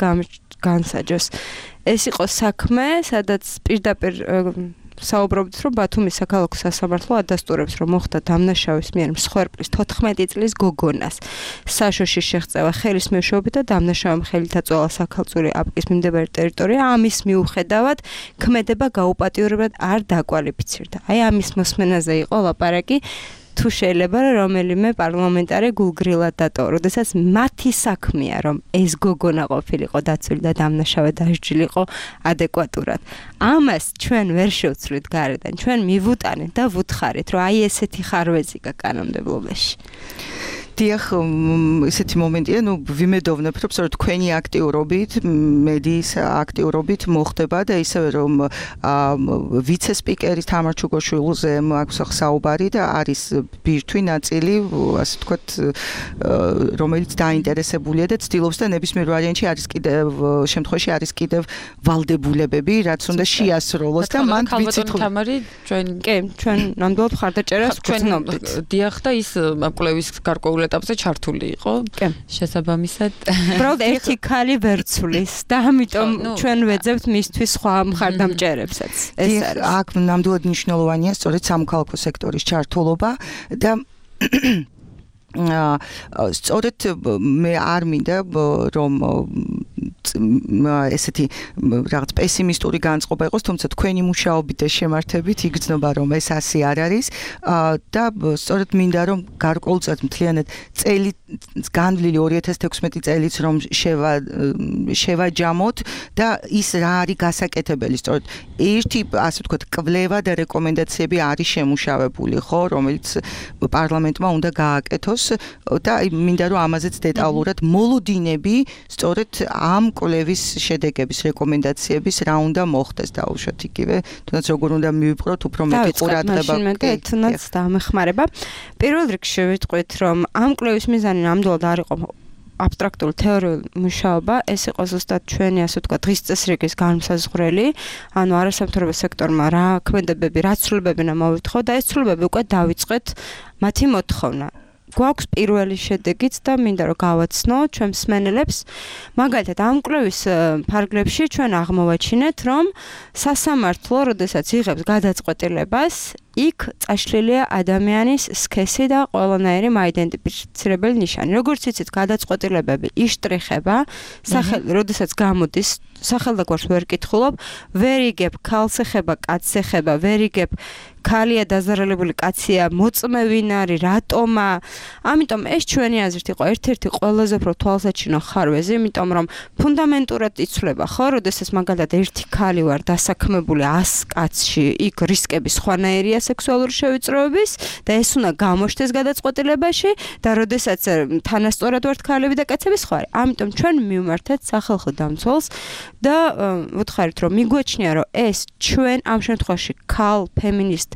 განსაჯოს. ეს იყო საქმე, სადაც პირდაპირ საუბრობთ, რომ ბათუმის საქალაქო სასამართლო ადასტურებს, რომ მოხდა დამნაშავის მიერ მსხვერპლის თოთხმეტი წლის გოგონას საშოში შეღწევა ხელის მეშვეობით და დამნაშავემ ხელით აწვევა საქალწულე აპკის მიმდებარე ტერიტორია, ამის მიუხედავად ქმედება გაუპატიურებლად არ დაკვალიფიცირდა. აი ამის მოსმენაზე იყო ლაპარაკი. თუ შეიძლება რომელიმე პარლამენტარი გულგრილად დატოვა, როდესაც მათი საქმეა, რომ ეს გოგონა ყოფილიყო დაცული და დამნაშავე დასჯილიყო ადეკვატურად. ამას ჩვენ ვერ შევცვლით გარედან, ჩვენ მივუტანეთ და ვუთხარით, რომ აი ესეთი ხარვეზი კანონმდებლობაში. დიახ, ესეთი მომენტია, ნუ ვიმედოვნებ, რომ სწორედ თქვენი აქტიურობით, მედიის აქტიურობით მოხდება და ისევე რომ ვიცე-სპიკერის თამარ ჩუგოშვილზე აქვს საუბარი და არის ბირთვი ნაწილი, ასე ვთქვათ, რომელიც დაინტერესებულია და ცდილობს და ნებისმიერ ვარიანტში არის კიდევ შემთხვევაში არის კიდევ ვალდებულებები, რაც უნდა შეასრულოს და მან ვიცით თამარი ჩვენ კი, ჩვენ ნამდვილად მხარდაჭერას გვცნობთ. დიახ და ის კვლევის გარკვეულ ეტაპზე ჩართული იყო. შესაბამისად, უბრალოდ ერთი ქალი ვერ ცვლის და ამიტომ ჩვენ ვეძებთ მისთვის სხვა მხარდამჭერებსაც. ეს არის. აქ ნამდვილად მნიშვნელოვანია სწორედ სამოქალაქო სექტორის ჩართულობა და სწორედ მე არ მინდა რომ ესეთი რაღაც პესიმისტური განწყობა იყოს, თუმცა თქვენი მუშაობით და შემართებით იგრძნობა, რომ ეს ასე არ არის და სწორედ მინდა რომ გარკვეულწილად მთლიანად წელი განვლილი ორი ათას თექვსმეტი წელიც რომ შევა შევაჯამოთ და ის რა არის გასაკეთებელი, სწორედ ერთი ასე ვთქვათ კვლევა და რეკომენდაციები არის შემუშავებული, ხო, რომელიც პარლამენტმა უნდა გააკეთოს და მინდა რომ ამაზეც დეტალურად მოლოდინები სწორედ ამ კვლევის შედეგების რეკომენდაციების რა უნდა მოხდეს დაუშვათ იგივე, თუნდაც როგორ უნდა მივიპყროთ უფრო მეტი ყურადღება. მე თუნდაც დამეხმარება. პირველ რიგში ვიტყვით, რომ ამ კვლევის მიზანი ნამდვილად არ იყო აბსტრაქტული თეორიული მუშაობა, ეს იყო ზუსტად ჩვენი ასე ვთქვათ დღის წესრიგის განმსაზღვრელი, ანუ არასამთავრობო სექტორმა რა ქმედებები, რა ცვლილებები უნდა მოვითხო და ეს ცვლილებები უკვე დავიწყეთ მათი მოთხოვნა. გვაქვს პირველი შედეგიც და მინდა რომ გავაცნო ჩვენ მსმენელებს. მაგალითად, ამ კვლევის ფარგლებში ჩვენ აღმოვაჩინეთ, რომ სასამართლო, როდესაც იღებს გადაწყვეტილებას, იქ წაშლილია ადამიანის სქესი და ყველანაირი მაიდენტიფიცირებელი ნიშანი. როგორც იცით, გადაწყვეტილებები იშტრიხება, სახელი, როდესაც გამოდის, სახელდაგვარს ვერ კითხულობ, ვერ იგებ ქალს ეხება, კაცს ეხება, ვერ იგებ ქალია დაზარალებული, კაცია მოწმევინ არის, რატომა? ამიტომ ეს ჩვენი აზრით იყო ერთ-ერთი ყველაზე უფრო თვალსაჩინო ხარვეზი, იმიტომ რომ ფუნდამენტურად იცვლება, ხო, როდესაც მაგალითად ერთი ქალი ვარ დასაქმებული ას კაცში, იქ რისკები სხვანაირია სექსუალური შევიწროების და ეს უნდა გამოჩნდეს გადაწყვეტილებაში და როდესაც თანასწორად ვართ ქალები და კაცები სხვა არის. ამიტომ ჩვენ მივმართეთ სახალხო დამცველს და ვუთხარით, რომ მიგვაჩნია, რომ ეს ჩვენ ამ შემთხვევაში ქალ ფემინისტ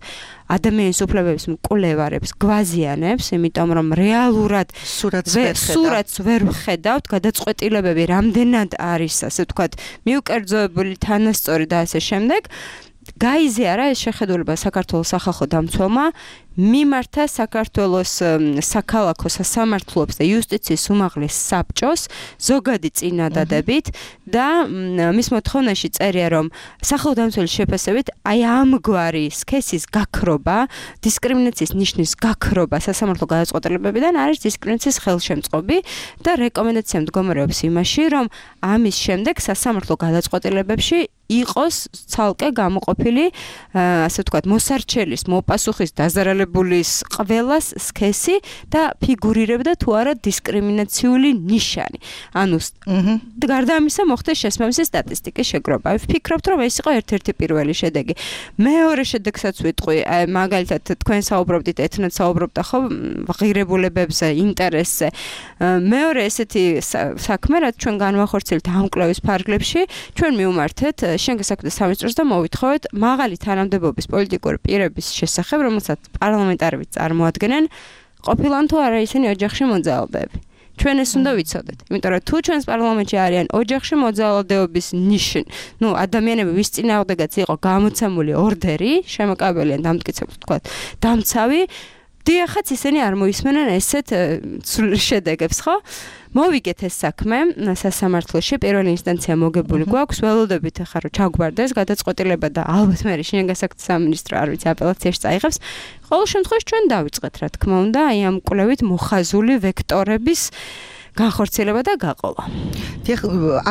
ადამიანის უფლებების მკვლევარებს გვაზიანებს, იმიტომ რომ რეალურად სურათს ვერ ვხედავთ, გადაწყვეტილებები რამდენად არის, ასე ვთქვათ, მიუკერძოებული, თანასწორი და ასე შემდეგ. გაიზიარა ეს შეხედულება საქართველოს სახალხო დამცველმა, მიმართა საქართველოს საქალაქო სასამართლოებს და იუსტიციის უმაღლეს საბჭოს ზოგადი წინადადებით და მის მოთხოვნაში წერია, რომ სახალხო დამცველის შეფასებით აი ამგვარი სქესის გაქრობა, დისკრიმინაციის ნიშნის გაქრობა სასამართლო გადაწყვეტილებებიდან არის დისკრიმინაციის ხელშემწყობი და რეკომენდაცია მდგომარეობს იმაში, რომ ამის შემდეგ სასამართლო გადაწყვეტილებებში იყოს ცალკე გამოყოფილი, ასე ვთქვათ, მოსარჩელის, მოპასუხის, დაზარალებულის ყველას სქესი და ფიგურირებდა თუ არა დისკრიმინაციული ნიშანი. ანუ გარდა ამისა მოხდა შესაბამისი სტატისტიკის შეგროვა. ვფიქრობთ, რომ ეს იყო ერთ-ერთი პირველი შედეგი. მეორე შედეგსაც ვიტყვი, მაგალითად თქვენ საუბრობდით, ეთნად საუბრობდა ხო ღირებულებებზე, ინტერესზე. მეორე ესეთი საქმე, რაც ჩვენ განვახორციელებთ ამ კვლევის ფარგლებში, ჩვენ მივმართეთ შენგეს საქმეთა სამინისტროს და მოვითხოვეთ მაღალი თანამდებობის პოლიტიკური პირების შესახებ, რომელსაც პარლამენტარებიც წარმოადგენენ, ყოფილან თუ არა ისინი ოჯახში მოძალადეები. ჩვენ ეს უნდა ვიცოდეთ, იმიტომ რომ თუ ჩვენს პარლამენტში არიან ოჯახში მოძალადეობის ნიშნ, ნუ ადამიანები ვის წინააღმდეგაც იყო გამოცემული ორდერი, შემოკავებელიან დამტკიცებულ თქვა, დამცავი, დიახაც ისინი არ მოისმენენ ესეთ შედეგებს, ხო? მოვიგეთ ეს საქმე სასამართლოში, პირველი ინსტანცია მოგებული გვაქვს, ველოდებით ახლა რომ ჩაგვარდეს გადაწყვეტილება და ალბათ მე შინაგან საქმეთა სამინისტრო არ ვიცი აპელაციაში წაიღებს. ყოველ შემთხვევაში ჩვენ დავიწყეთ, რა თქმა უნდა, აი ამ კვლევით მოხაზული ვექტორების განხორციელება და გაყოლა. დიახ,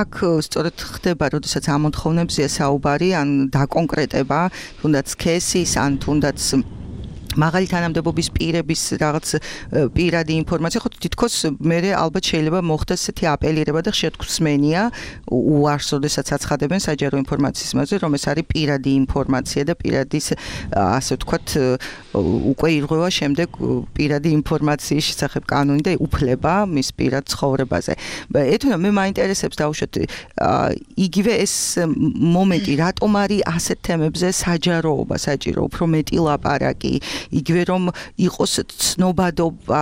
აქ სწორედ ხდება, როდესაც ამ მოთხოვნებზეა საუბარი, ან დაკონკრეტება, თუნდაც სქესის, ან თუნდაც მაღალი თანამდებობის პირების რაღაც პირადი ინფორმაცია, ხო თითქოს მე ალბათ შეიძლება მოხდეს ესეთი აპელირება და ხშირად გვსმენია უარს, როდესაც აცხადებენ საჯარო ინფორმაციის მასზე, რომ ეს არის პირადი ინფორმაცია და პირადის ასე ვთქვათ უკვე ირღვევა შემდეგ პირადი ინფორმაციის შესახებ კანონი და უფლება მის პირად ცხოვრებაზე. ეთუნა მე მაინტერესებს დაუშვათ იგივე ეს მომენტი, რატომ არის ასეთ თემებზე საჯაროობა საჭირო, უფრო მეტი ლაპარაკი, იგივე რომ იყოს ცნობადობა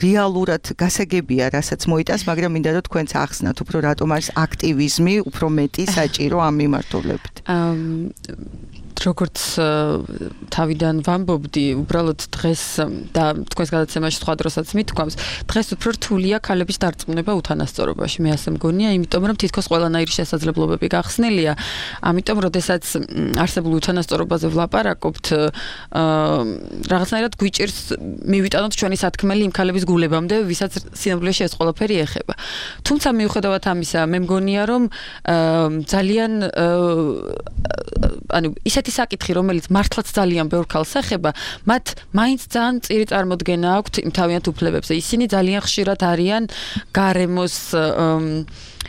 რეალურად გასაგებია, რასაც მოიტანს, მაგრამ მინდა რომ თქვენც ახსნათ, უფრო რატომ არის აქტივიზმი უფრო მეტი საჭირო ამ მიმართულებით. როგორც თავიდან ვამბობდი, უბრალოდ დღეს და თქვენს გადაცემაში სხვა დროსაც მithქვამს, დღეს უფრო რთულია ქალების დარწმუნება უთანასწორობაში. მე ასე მგონია, იმიტომ რომ თითქოს ყველანაირი შესაძლებლობები გახსნილია. ამიტომ, როდესაც არსებულ უთანასწორობაზე ვლაპარაკობთ, რაღაცნაირად გვიჭირს მივიტანოთ ჩვენი სათქმელი იმ ქალების გულებამდე, ვისაც სინამდვილეში ეს ყველაფერი ეხება. თუმცა მიუხედავად ამისა, მე მგონია, რომ ძალიან ანუ ისეთი საკითხი, რომელიც მართლაც ძალიან ბევრ ქალს ეხება, მათ მაინც ძალიან წირი წარმოდგენა აქვთ იმ თავიანთ უფლებებზე. ისინი ძალიან ხშირად არიან გარემოს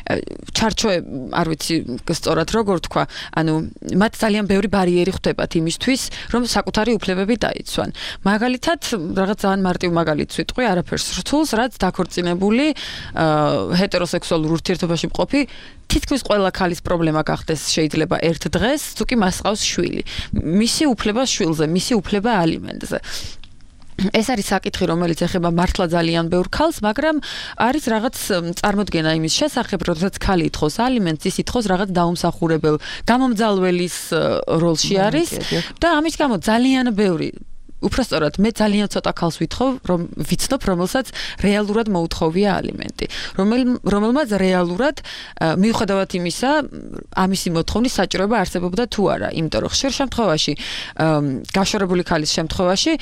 ჩარჩოები, არ ვიცი სწორად როგორ თქვა, ანუ მათ ძალიან ბევრი ბარიერი ხვდებათ იმისთვის, რომ საკუთარი უფლებები დაიცვან. მაგალითად, რაღაც ძალიან მარტივ მაგალითს ვიტყვი, არაფერს რთულს, რაც დაქორწინებული ჰეტეროსექსუალურ ურთიერთობაში მყოფი თითქმის ყველა ქალის პრობლემა გახდეს შეიძლება ერთ დღეს, თუ კი მას ყავს შვილი. მისი უფლება შვილზე, მისი უფლება ალიმენტზე. ეს არის საკითხი, რომელიც ეხება მართლა ძალიან ბევრ ქალს, მაგრამ არის რაღაც წარმოდგენა იმის შესახებ, როდესაც ქალი ითხოვს ალიმენტს, ის ითხოვს რაღაც დაუმსახურებელ გამომძალველის როლში არის და ამის გამო ძალიან ბევრი უпростоრად მე ძალიან ცოტა ქალს ვითხოვ, რომ ვიცნობ, რომელსაც რეალურად მოუთხოვია ალიმენტი, რომელმაც რეალურად მიუხედავად იმისა, ამისი მოთხოვნის საჭიროება არსებობდა თუ არა, იმიტომ რომ ხშირ შემთხვევაში გაშორებული ქალის შემთხვევაში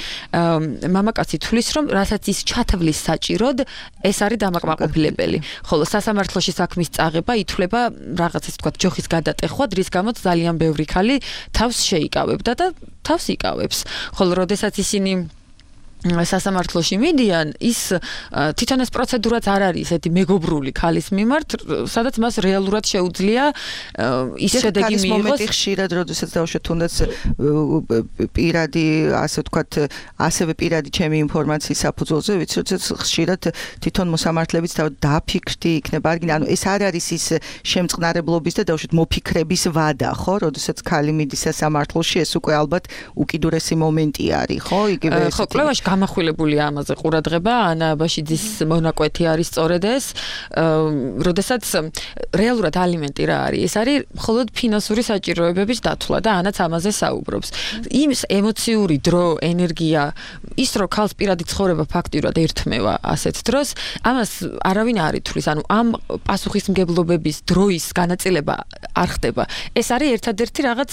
მამაკაცი თვლის, რომ რასაც ის ჩათვლის საჭიროდ, ეს არის დამაკმაყოფილებელი, ხოლო სასამართლოში საქმის წაღება ითვლება რაღაც ეს თქვა ჯოხის გადატეხვად, რის გამოც ძალიან ბევრი ქალი თავს შეიკავებდა და თავს იკავებს, ხოლო როდესაც ისინი სასამართლოში მიდიან, ის თვითონ ეს პროცედურაც არ არის ესეთი მეგობრული ქალის მიმართ, სადაც მას რეალურად შეუძლია ის შედეგი მიიღოს. მომენტი ხშირად, როდესაც დავუშვათ თუნდაც პირადი, ასე ვთქვათ, ასევე პირადი ჩემი ინფორმაციის საფუძველზე, ვიცი, როდესაც ხშირად თვითონ მოსამართლებიც დაფიქრდი იქნება, ანუ ეს არ არის ის შემწყნარებლობის და დავუშვათ მოფიქრების ვადა, ხო? როდესაც ქალი მიდის სასამართლოში, ეს უკვე ალბათ უკიდურესი მომენტი არის, ხო? იგივე ხო, კვლევაში გამახვილებული ამაზე ყურადღება, ანა აბაშიძის მონაკვეთი არის სწორედ ეს, როდესაც რეალურად ალიმენტი რა არის? ეს არის მხოლოდ ფინანსური საჭიროებების დათვლა და ანაც ამაზე საუბრობს. იმ ემოციური დრო, ენერგია, ის რო ქალს პირადი ცხოვრება ფაქტიურად ერთმევა ასეთ დროს, ამას არავინ არ ითვლის, ანუ ამ პასუხისმგებლობების დროის განაწილება არ ხდება. ეს არის ერთადერთი რაღაც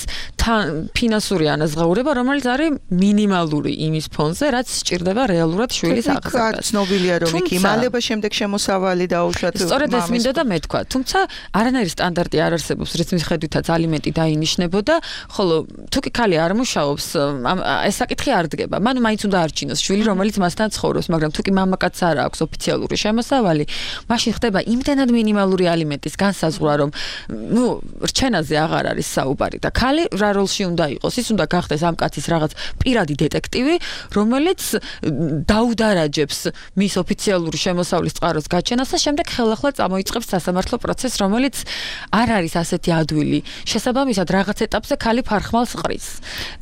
ფინანსური ანაზღაურება, რომელიც არის მინიმალური იმის ფონზე, რაც სჭირდება რეალურად შვილის აღზრდას. ცნობილია, რომ იქ იმალება შემდეგ შემოსავალი დაუშვათ. სწორედ ეს მინდოდა და მეთქვა. თუმცა არანაირი სტანდარტი არ არსებობს, რის მიხედვითაც ალიმენტი დაინიშნებოდა, ხოლო თუ კი ქალი არ მუშაობს, ეს საკითხი არ დგება. მან მაინც უნდა არჩინოს შვილი, რომელიც მასთან ცხოვრობს, მაგრამ თუ კი მამაკაცს არ აქვს ოფიციალური შემოსავალი, მაშინ ხდება იმდენად მინიმალური ალიმენტის განსაზღვრა, რომ ნუ რჩენაზე აღარ არის საუბარი და ქალი რა როლში უნდა იყოს? ის უნდა გახდეს ამ კაცის რაღაც პირადი დეტექტივი, რომელიც დაუდარაჯებს მის ოფიციალური შემოსავლის წყაროს გაჩენას და შემდეგ ხელახლა წამოიწყებს სასამართლო პროცესს, რომელიც არ არის ასეთი ადვილი. შესაბამისად, რაღაც ეტაპზე ქალი ფარხმალს ყრის.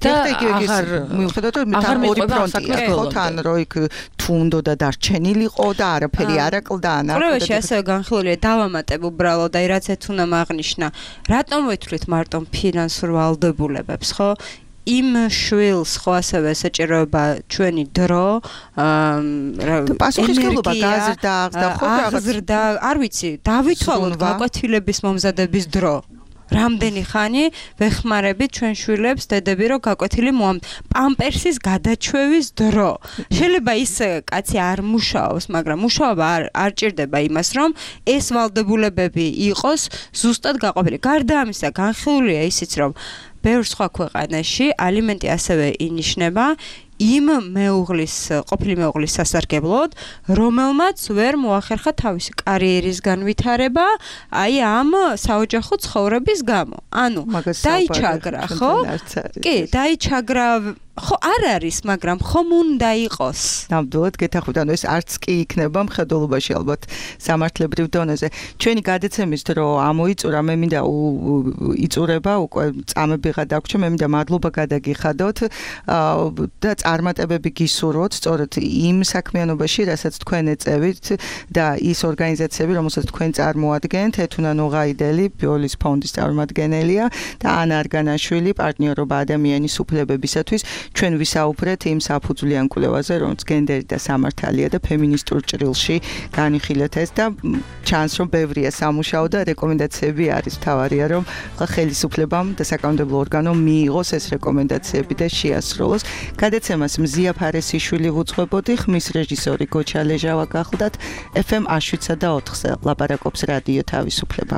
და აღარ მიუხედავად რომ თან ორი ფრონტია, ხო, თან რო იქ თუ უნდა დარჩენილიყო და არაფერი არ აკლდა ანა. კვლევაში ასევე განხილულია დავამატებ უბრალოდ, აი რაც ეთ უნდა აღნიშნა. რატომ ვეთვლით მარტო ფინანსურ ვალდებულებებს, ხო? იმ შვილს ხო ასევე საჭიროება ჩვენი დრო, პასუხისმგებლობა გაზრდა, ხო, გაზრდა, არ ვიცი, დავითვალოთ გაკვეთილების მომზადების დრო. რამდენი ხანი ვეხმარებით ჩვენ შვილებს დედები რომ გაკვეთილი მოამ პამპერსის გადაჩვევის დრო. შეიძლება ის კაცი არ მუშაობს, მაგრამ მუშაობა არ არ ჭირდება იმას, რომ ეს ვალდებულებები იყოს ზუსტად გაყოფილი. გარდა ამისა, განხილულია ისიც, რომ ბევრ სხვა ქვეყანაში ალიმენტი ასევე ინიშნება იმ მეუღლის, ყოფილი მეუღლის სასარგებლოდ, რომელმაც ვერ მოახერხა თავისი კარიერის განვითარება, აი ამ საოჯახო ცხოვრების გამო. ანუ დაიჩაგრა, ხო? კი, დაიჩაგრა ხო არ არის, მაგრამ ხომ უნდა იყოს. ნამდვილად გეთახმით, ანუ ეს არც კი იქნება მხედველობაში ალბათ სამართლებრივ დონეზე. ჩვენი გადაცემის დრო ამოიწურა, მე მინდა იწურება, უკვე წამები გადაგვრჩა, მე მინდა მადლობა გადაგიხადოთ და წარმატებები გისურვოთ, სწორედ იმ საქმიანობაში, რასაც თქვენ ეწევით და ის ორგანიზაციები, რომელსაც თქვენ წარმოადგენთ, ეთუნა ნოღაიდელი, ბიოლის ფონდის წარმომადგენელია და ანა არგანაშვილი, პარტნიორობა ადამიანის უფლებებისათვის. ჩვენ ვისაუბრეთ იმ საფუძვლიან კვლევაზე, რომელიც გენდერი და სამართალია და ფემინისტურ ჭრილში განიხილეთ ეს და ჩანს, რომ ბევრია სამუშაო და რეკომენდაციები არის თავარია, რომ ხელისუფლებამ და საკანონმდებლო ორგანომ მიიღოს ეს რეკომენდაციები და შეასრულოს. გადაცემას მზია ფარესიშვილი ვუძღვებოდი, ხმის რეჟისორი გოჩა ლეჟავა გახლდათ, ეფ ემ აშუცსა და ოთხზე ლაპარაკობს რადიო თავისუფლება.